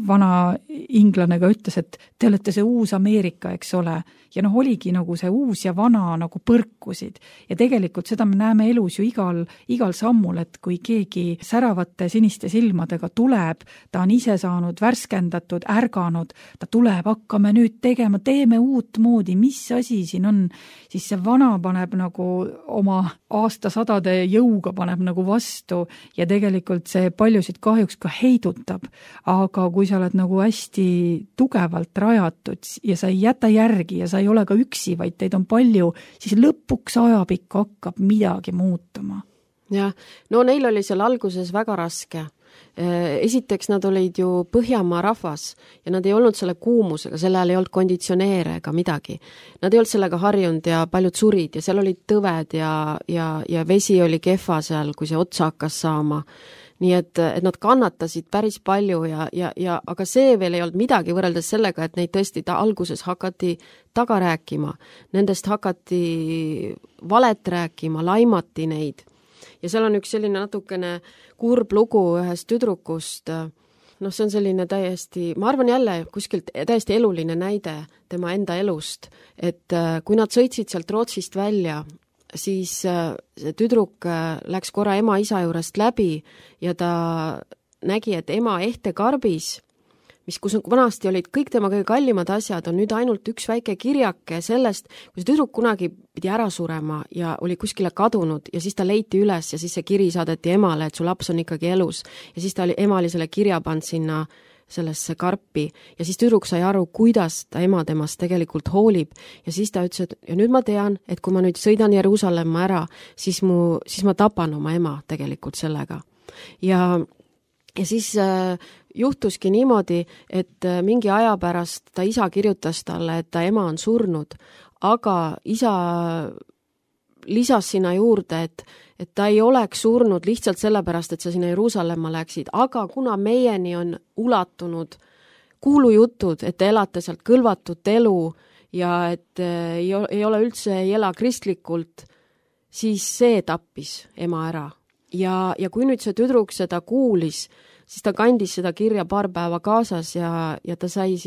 B: vana inglane ka ütles, et te olete see uus Ameerika, eks ole. Ja oligi nagu see uus ja vana nagu põrkusid. Ja tegelikult seda me näeme elus ju igal sammul, et kui keegi säravate siniste silmadega tuleb, ta on ise saanud värskendatud, ärganud, ta tuleb, hakkame nüüd tegema, teeme uut moodi, mis asi siin on, siis see vana paneb nagu oma aastasadade jõuga paneb nagu vastu ja tegelikult see paljusid kahjuks ka heidutab, aga kui sa oled nagu hästi tugevalt rajatud ja sa ei jäta järgi ja sa ei ole ka üksi, vaid teid on palju, siis lõpuks ajapikku hakkab midagi muutuma.
C: Jah, no neil oli seal alguses väga raske. Esiteks nad olid ju Põhjamaa rahvas ja nad ei olnud selle kuumusega, selle ajal ei olnud konditsioneere ega midagi. Nad ei olnud sellega harjunud ja paljud surid ja seal olid tõved ja vesi oli kehva seal, kui see otsa hakkas saama. Nii et nad kannatasid päris palju aga see veel ei olnud midagi võrreldes sellega, et neid tõesti alguses hakati taga rääkima. Nendest hakati valet rääkima, laimati neid. Ja seal on üks selline natukene kurb lugu ühest tüdrukust. See on selline täiesti, ma arvan jälle kuskilt täiesti eluline näide tema enda elust, et kui nad sõitsid sealt Rootsist välja, siis see tüdruk läks korra ema-isa juurest läbi ja ta nägi, et ema ehtekarbis, kus vanasti olid kõik tema kõige kallimad asjad, on nüüd ainult üks väike kirjake sellest, kui see tüdruk kunagi pidi ära surema ja oli kuskile kadunud ja siis ta leiti üles ja siis see kiri saadeti emale, et su laps on ikkagi elus ja siis ema oli selle kirja pannud sinna sellesse karpi ja siis tüdruk sai aru, kuidas ta ema temast tegelikult hoolib ja siis ta ütles, et ja nüüd ma tean, et kui ma nüüd sõidan Jeruusalemma ära, siis ma tapan oma ema tegelikult sellega. Ja siis juhtuski niimoodi, et mingi aja pärast ta isa kirjutas talle, et ta ema on surnud, aga isa lisas sinna juurde, et ta ei oleks surnud lihtsalt sellepärast, et sa sinna Jeruusalemma läksid, aga kuna meieni on ulatunud kuulujutud, et te elate sealt kõlvatut elu ja et ei ole üldse, ei ela kristlikult, siis see tappis ema ära. Ja kui nüüd see tüdruk seda kuulis, siis ta kandis seda kirja paar päeva kaasas ja ta sai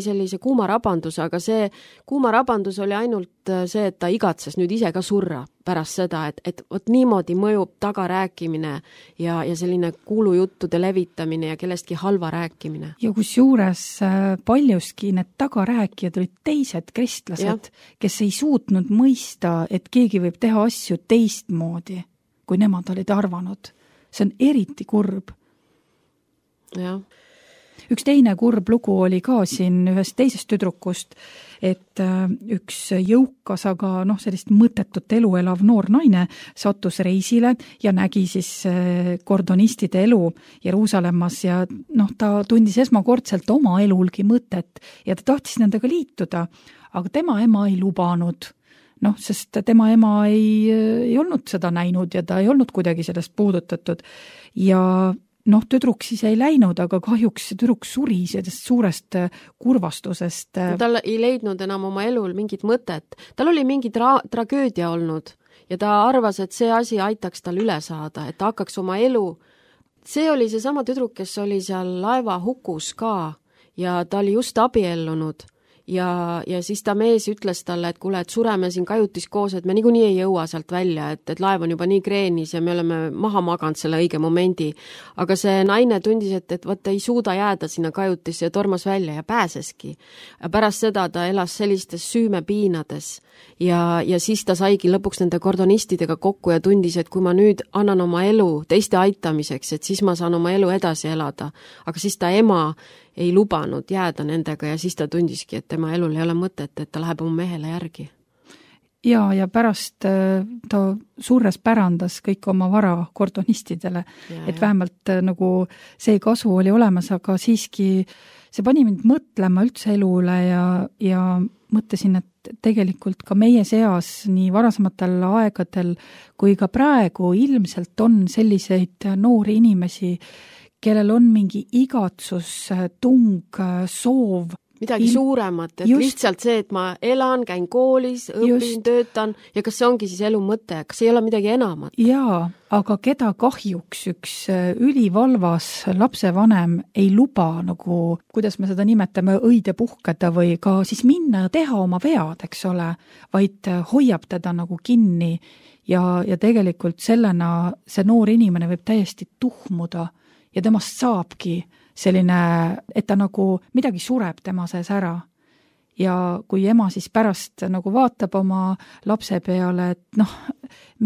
C: sellise kuuma rabanduse, aga see kuuma rabandus oli ainult see, et ta igatses nüüd ise ka surra pärast seda, et vot niimoodi mõjub tagarääkimine ja selline kuulujuttude levitamine ja kellestki halva rääkimine.
B: Ja kusjuures paljuski need tagarääkijad olid teised kristlased, kes ei suutnud mõista, et keegi võib teha asju teistmoodi, kui nemad olid arvanud. See on eriti kurb.
C: Jah.
B: Üks teine kurb lugu oli ka siin ühest teisest tüdrukust, et üks jõukas, aga sellist mõttetut elu elav noor naine sattus reisile ja nägi siis kordonistide elu Jeruusalemmas ja ta tundis esmakordselt oma elulgi mõtet ja ta tahtis nendega liituda, aga tema ema ei lubanud. Sest tema ema ei olnud seda näinud ja ta ei olnud kuidagi sellest puudutatud ja tüdruk siis ei läinud, aga kahjuks tüdruk suri sellest suurest kurvastusest.
C: Tal ei leidnud enam oma elul mingit mõtet. Tal oli mingi tragöödia olnud ja ta arvas, et see asi aitaks tal üle saada, et ta hakkaks oma elu. See oli see sama tüdruk, kes oli seal laeva hukus ka ja ta oli just abiellunud. Ja siis ta mees ütles talle, et kuule, et sureme siin kajutis koos, et me niikuinii ei jõua sealt välja, et laev on juba nii kreenis ja me oleme maha maganud selle õige momendi. Aga see naine tundis, et võtta ei suuda jääda sinna kajutisse ja tormas välja ja pääseski. Ja pärast seda ta elas sellistes süümepiinades ja siis ta saigi lõpuks nende kordonistidega kokku ja tundis, et kui ma nüüd annan oma elu teiste aitamiseks, et siis ma saan oma elu edasi elada. Aga siis ta ema ei lubanud jääda nendega ja siis ta tundiski, et tema elul ei ole mõtet, et ta läheb oma mehele järgi.
B: Ja pärast ta suures pärandas kõik oma vara kordonistidele, et vähemalt nagu see kasu oli olemas, aga siiski see pani mind mõtlema üldse elule ja mõtlesin, et tegelikult ka meie seas nii varasematel aegadel kui ka praegu ilmselt on selliseid noori inimesi, kellel on mingi igatsus, tung, soov.
C: Midagi suuremat, et lihtsalt see, et ma elan, käin koolis, õpin, töötan ja kas see ongi siis elu mõte, kas ei ole midagi enamat?
B: Jaa, aga keda kahjuks üks ülivalvas lapsevanem ei luba nagu, kuidas me seda nimetame, õide puhkeda või ka siis minna ja teha oma vead, eks ole, vaid hoiab teda nagu kinni ja tegelikult sellena see noor inimene võib täiesti tuhmuda ja temast saabki selline, et ta nagu midagi sureb tema sees ära. Ja kui ema siis pärast nagu vaatab oma lapse peale, et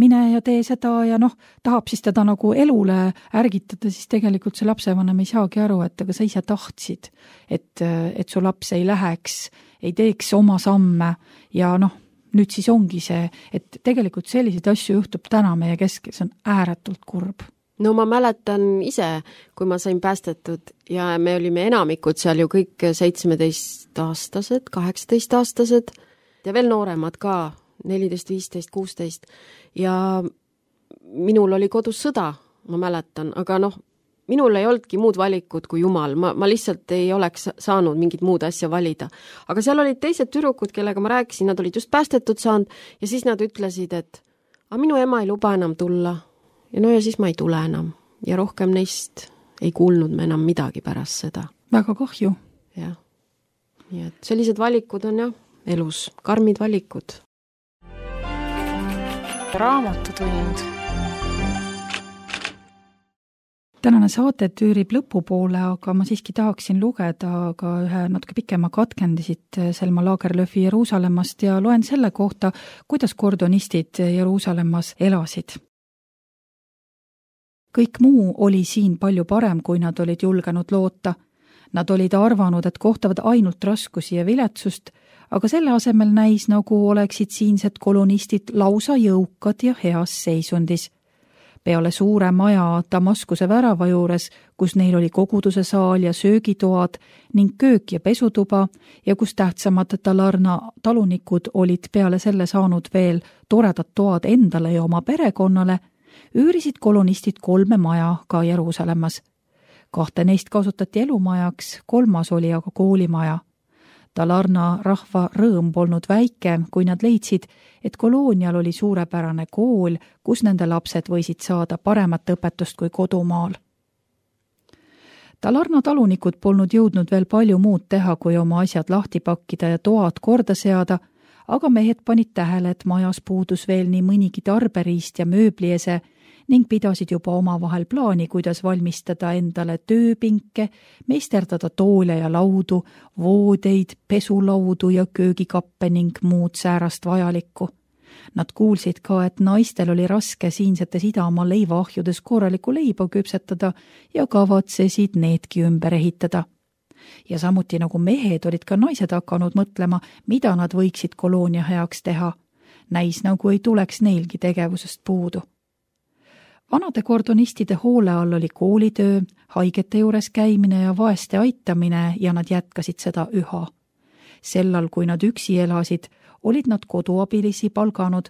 B: mine ja tee seda ja tahab siis teda nagu elule ärgitada, siis tegelikult see lapsevanem ei saagi aru, et aga sa ise tahtsid, et su laps ei läheks, ei teeks oma samme ja nüüd siis ongi see, et tegelikult selliseid asju juhtub täna meie keskel, see on ääretult kurb.
C: No ma mäletan ise, kui ma sain päästetud ja me olime enamikud seal ju kõik 17-aastased, 18-aastased ja veel nooremad ka, 14, 15, 16 ja minul oli kodus sõda, ma mäletan, aga minul ei olnudki muud valikut kui Jumal, ma lihtsalt ei oleks saanud mingit muud asja valida. Aga seal olid teised tüdrukud, kellega ma rääkisin, nad olid just päästetud saanud ja siis nad ütlesid, et minu ema ei luba enam tulla. Ja siis ma ei tule enam ja rohkem neist ei kuulnud me enam midagi pärast seda.
B: Väga kahju.
C: Jah. Nii et sellised valikud on elus, karmid valikud.
A: Raamatutund.
B: Tänane saate tüürib lõpupoole, aga ma siiski tahaksin lugeda ka ühe natuke pikema katkendisid Selma Lagerlöfi Jeruusalemmast ja loen selle kohta, kuidas kordonistid Jeruusalemmas elasid. Kõik muu oli siin palju parem, kui nad olid julgenud loota. Nad olid arvanud, et kohtavad ainult raskusi ja viletsust, aga selle asemel näis, nagu oleksid siinsed kolonistid lausa jõukad ja heas seisundis. Peale suure maja Damaskuse värava juures, kus neil oli koguduse saal ja söögitoad ning köök ja pesutuba ja kus tähtsamad Talarna talunikud olid peale selle saanud veel toredad toad endale ja oma perekonnale, üürisid kolonistid 3 maja ka Jeruusalemmas. 2 neist kasutati elumajaks, 3. oli aga koolimaja. Talarna rahva rõõm polnud väike, kui nad leidsid, et koloonial oli suurepärane kool, kus nende lapsed võisid saada paremat õpetust kui kodumaal. Talarna talunikud polnud jõudnud veel palju muud teha, kui oma asjad lahti pakkida ja toad korda seada, aga mehed panid tähele, et majas puudus veel nii mõnigi tarberiist ja mööbliese ning pidasid juba omavahel plaani, kuidas valmistada endale tööpinke, meisterdada toole ja laudu, voodeid, pesulaudu ja köögikappe ning muud säärast vajalikku. Nad kuulsid ka, et naistel oli raske siinsetes Idamaa leivaahjudes korralikku leiba küpsetada ja kavatsesid needki ümber ehitada. ja samuti nagu mehed olid ka naised hakanud mõtlema, mida nad võiksid koloonia heaks teha. Näis nagu ei tuleks neilgi tegevusest puudu. Vanade kordonistide hoole all oli koolitöö, haigete juures käimine ja vaeste aitamine ja nad jätkasid seda üha. Sellal, kui nad üksi elasid, olid nad koduabilisi palganud,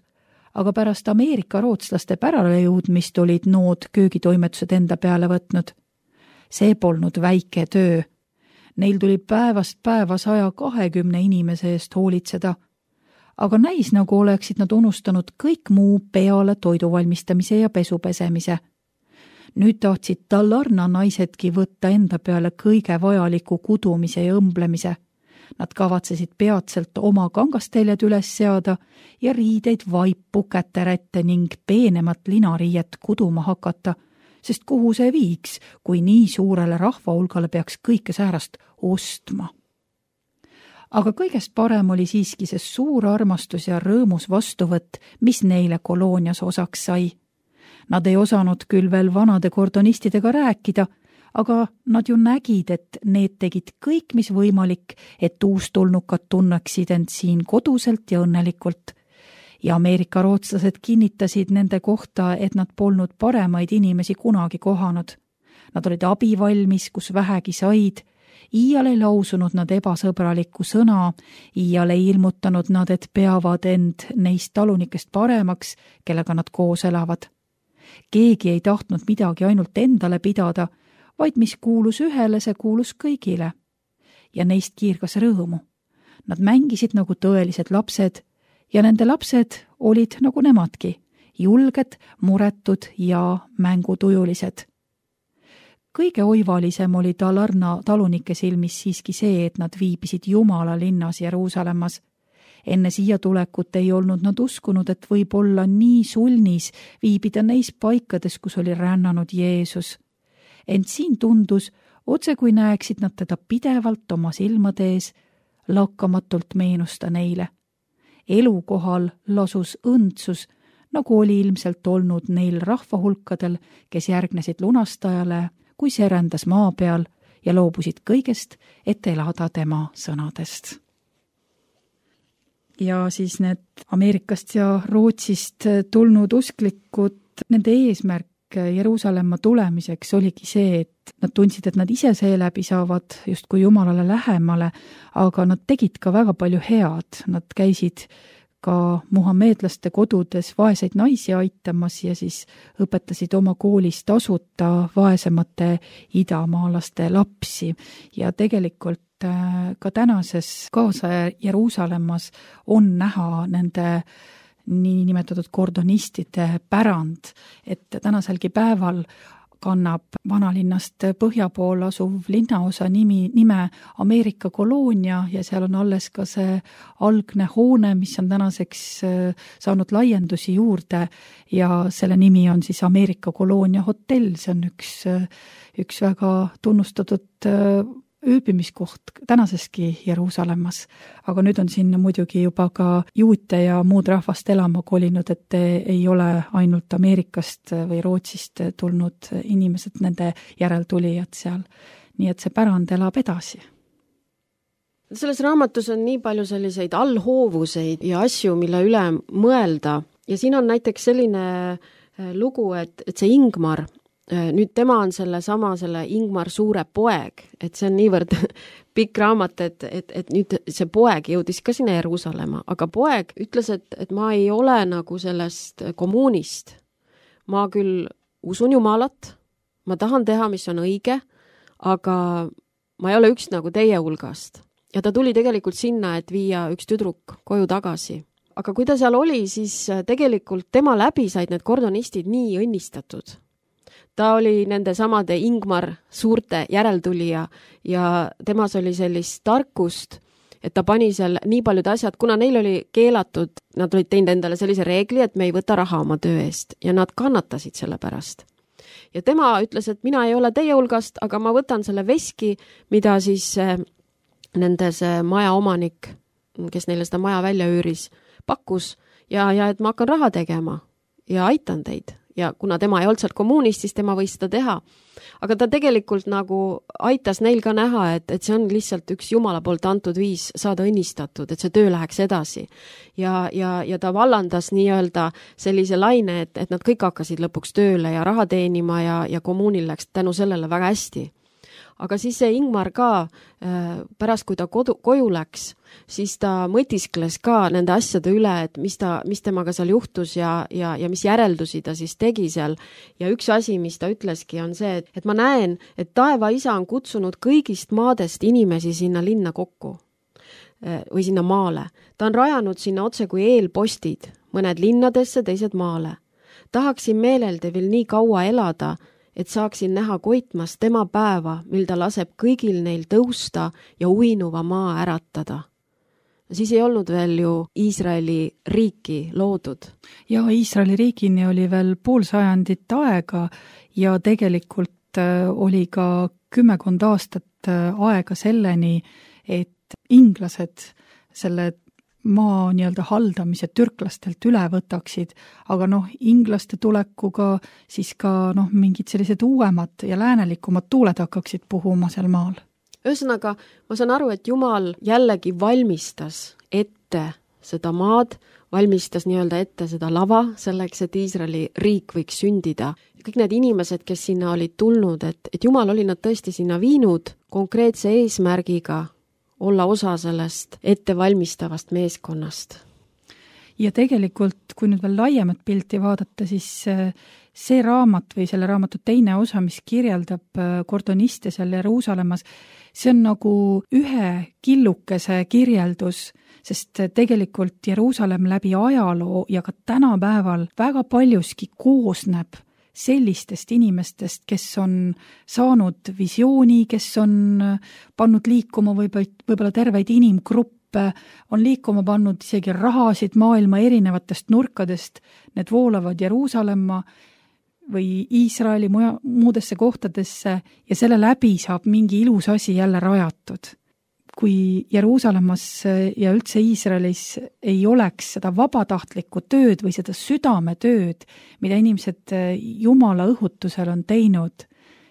B: aga pärast Ameerika rootslaste pärale jõudmist olid nood köögitoimetused enda peale võtnud. See polnud väike töö. Neil tuli päevast päeva 120 inimese eest hoolitseda, aga näis nagu oleksid nad unustanud kõik muu peale toidu valmistamise ja pesu pesemise. Nüüd tahtsid Dalarna naisedki võtta enda peale kõige vajaliku kudumise ja õmblemise. Nad kavatsesid peatselt oma kangasteljed üles seada ja riideid, vaipu, käterätte ning peenemat linariiet kuduma hakata, sest kuhu see viiks, kui nii suurele rahvahulgale peaks kõike säärast ostma. Aga kõigest parem oli siiski see suur armastus ja rõõmus vastuvõtt, mis neile koloonias osaks sai. Nad ei osanud küll veel vanade kordonistidega rääkida, aga nad ju nägid, et need tegid kõik, mis võimalik, et uustulnukad tunneksid end siin koduselt ja õnnelikult. Ja Ameerika rootslased kinnitasid nende kohta, et nad polnud paremaid inimesi kunagi kohanud. Nad olid abivalmis, kus vähegi said. Iial ei lausunud nad ebasõbralikku sõna, iial ei ilmutanud nad, et peavad end neist talunikest paremaks, kellega nad koos elavad. Keegi ei tahtnud midagi ainult endale pidada, vaid mis kuulus ühele, see kuulus kõigile. Ja neist kiirgas rõõmu. Nad mängisid nagu tõelised lapsed ja nende lapsed olid nagu nemadki, julged, muretud ja mängutujulised. Kõige oivalisem oli Dalarna talunike silmis siiski see, et nad viibisid Jumala linnas Jeruusalemmas. Enne siia tulekut ei olnud nad uskunud, et võib olla nii sulnis viibida neis paikades, kus oli rännanud Jeesus. Ent siin tundus, otse kui näeksid nad teda pidevalt oma silmade ees, lakkamatult meenusta neile. Elukohal lasus õndsus, nagu oli ilmselt olnud neil rahvahulkadel, kes järgnesid lunastajale, kui see rändas maa peal ja loobusid kõigest, et elada tema sõnadest. Ja siis need Ameerikast ja Rootsist tulnud usklikud, nende eesmärk Jeruusalemma tulemiseks oligi see, et nad tundsid, et nad ise seeläbi saavad justkui Jumalale lähemale, aga nad tegid ka väga palju head. Nad käisid ka muhameedlaste kodudes vaeseid naisi aitamas ja siis õpetasid oma koolis tasuta vaesemate idamaalaste lapsi. Ja tegelikult ka tänases kaasaja Jeruusalemmas on näha nende niinimetatud kordonistide pärand, et tänaselgi päeval kannab vanalinnast põhja pool asuv linnaosa nime Ameerika koloonia ja seal on alles ka see algne hoone, mis on tänaseks saanud laiendusi juurde ja selle nimi on siis Ameerika koloonia hotell. See on üks väga tunnustatud ööbimiskoht tänaseski Jeruusalemmas, aga nüüd on sinna muidugi juba ka juute ja muud rahvast elama kolinud, et ei ole ainult Ameerikast või Rootsist tulnud inimesed, nende järeltulijad seal. Nii et see pärand elab edasi.
C: Selles raamatus on nii palju selliseid allhoovuseid ja asju, mille üle mõelda ja siin on näiteks selline lugu, et see Ingmar, nüüd tema on selle Ingmar suure poeg, et see on niivõrd pikk raamat, et nüüd see poeg jõudis ka sinna Jeruusalemma, aga poeg ütles, et ma ei ole nagu sellest kommuunist. Ma küll usun Jumalat, ma tahan teha, mis on õige, aga ma ei ole üks nagu teie hulgast. Ja ta tuli tegelikult sinna, et viia üks tüdruk koju tagasi. Aga kui ta seal oli, siis tegelikult tema läbi said need kordonistid nii õnnistatud. Ta oli nende samade Ingmar suurte järeltulija ja temas oli sellist tarkust, et ta pani seal nii paljud asjad, kuna neil oli keelatud, nad olid teinud endale sellise reegli, et me ei võta raha oma töö eest ja nad kannatasid selle pärast. Ja tema ütles, et mina ei ole teie hulgast, aga ma võtan selle veski, mida siis nende see maja omanik, kes neile seda maja välja üüris, pakkus ja et ma hakkan raha tegema ja aitan teid. ja kuna tema ei olnud seal kommuunist, siis tema võis seda teha. Aga ta tegelikult nagu aitas neil ka näha, et see on lihtsalt üks Jumala poolt antud viis saada õnnistatud, et see töö läheks edasi. Ja ta vallandas nii-öelda sellise laine, et nad kõik hakkasid lõpuks tööle ja raha teenima ja kommuunil läks tänu sellele väga hästi. Aga siis see Ingmar ka, pärast kui ta koju läks, siis ta mõtiskles ka nende asjade üle, et mis temaga seal juhtus ja mis järeldusi ta siis tegi seal. Ja üks asi, mis ta ütleski, on see, et ma näen, et taeva isa on kutsunud kõigist maadest inimesi sinna linna kokku või sinna maale. Ta on rajanud sinna otse kui eelpostid, mõned linnadesse, teised maale. Tahaksin meelelde veel nii kaua elada, et saaksin näha koitmas tema päeva, mil ta laseb kõigil neil tõusta ja uinuva maa äratada. Siis ei olnud veel ju Iisraeli riiki loodud.
B: Ja Iisraeli riigini oli veel pool sajandit aega ja tegelikult oli ka 10 aastat aega selleni, et inglased selle maa nii-öelda haldamise türklastelt üle võtaksid, aga inglaste tulekuga siis ka mingid sellised uuemad ja läänelikumad tuuled hakkaksid puhuma seal maal.
C: Ühesõnaga, ma saan aru, et Jumal jällegi valmistas ette seda maad, valmistas nii-öelda ette seda lava selleks, et Iisraeli riik võiks sündida. Kõik need inimesed, kes sinna olid tulnud, et Jumal oli nad tõesti sinna viinud konkreetse eesmärgiga olla osa sellest ettevalmistavast meeskonnast.
B: Ja tegelikult, kui nüüd veel laiemat pilti vaadata, siis see raamat või selle raamatu teine osa, mis kirjeldab kordoniste seal Jeruusalemmas, see on nagu ühe killukese kirjeldus, sest tegelikult Jeruusalemm läbi ajaloo ja ka tänapäeval väga paljuski koosneb sellistest inimestest, kes on saanud visiooni, kes on pannud liikuma võib-olla terveid inimgruppe, on liikuma pannud isegi rahasid maailma erinevatest nurkadest, need voolavad Jeruusalemma või Iisraeli muudesse kohtadesse ja selle läbi saab mingi ilus asi jälle rajatud. Kui Jeruusalemmas ja üldse Iisraelis ei oleks seda vabatahtlikku tööd või seda südametööd, mida inimesed Jumala õhutusel on teinud,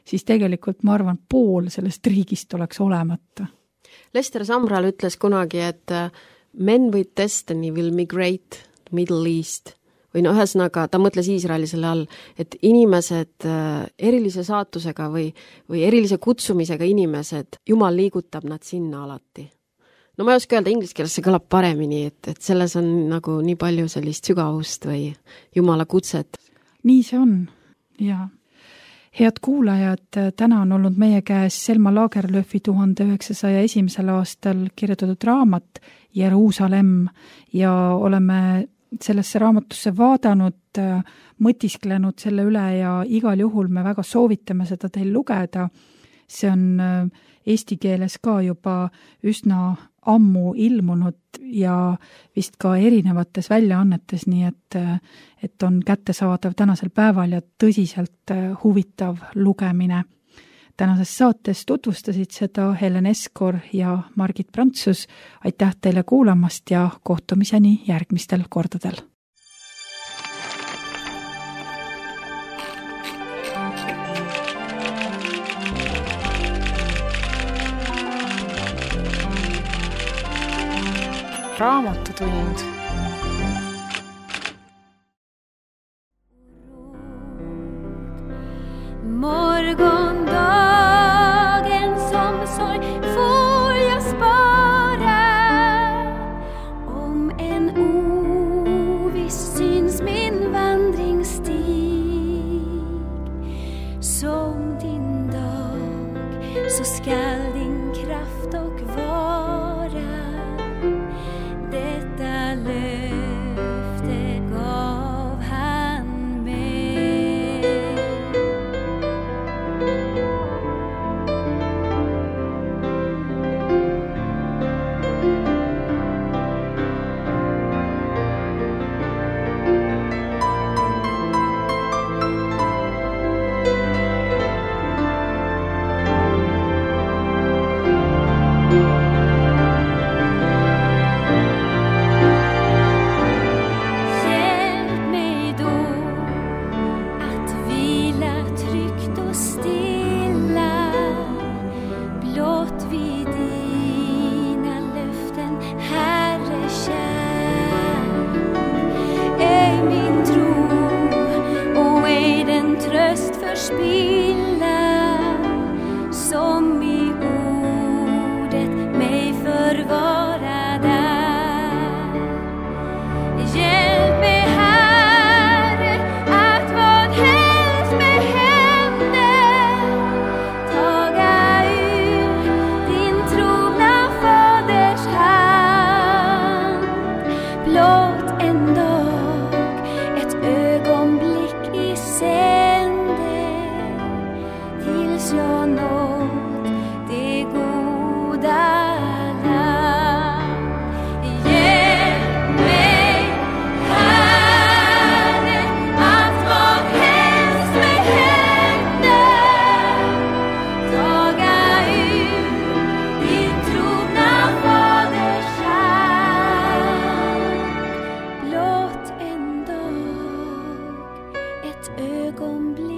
B: siis tegelikult ma arvan, pool sellest riigist oleks olemata.
C: Lester Sumrall ütles kunagi, et men with destiny will migrate to Middle East. Või ühesõnaga, ta mõtles Iisraeli selle all, et inimesed, erilise saatusega või erilise kutsumisega inimesed, Jumal liigutab nad sinna alati. No ma ei oska öelda, inglise keeles see kõlab paremini, et selles on nagu nii palju sellist sügavust või Jumala kutset.
B: Nii see on, ja. Head kuulajad, täna on olnud meie käes Selma Lagerlöfi 1901. aastal kirjutatud raamat Jeruusalemm ja oleme sellesse raamatusse vaadanud, mõtisklenud selle üle ja igal juhul me väga soovitame seda teil lugeda. See on eesti keeles ka juba üsna ammu ilmunud ja vist ka erinevates väljaannetes, nii et on kättesaadav tänasel päeval ja tõsiselt huvitav lugemine. Tänases saates tutvustasid seda Helen Eskor ja Margit Prantsus. Aitäh teile kuulamast ja kohtumiseni järgmistel kordadel.
A: Raamatutund.
D: Morgondagen som sorg får jag spara. Om en oviss syns min vandringsstig. Som din dag så skall din kraft och vara. Detta löfte gav han mig. förspilla, som i ordet mig förvara där. Hjälp mig, Herre, att vad helst mig händer, taga ur din trogna faders hand. Blott en dag, ett ögonblick i sänder, tills jag nått det goda land. Hjälp mig, Herre, att vad helst mig händer, taga ur din trogna faders hand. Blott en dag, ett ögonblick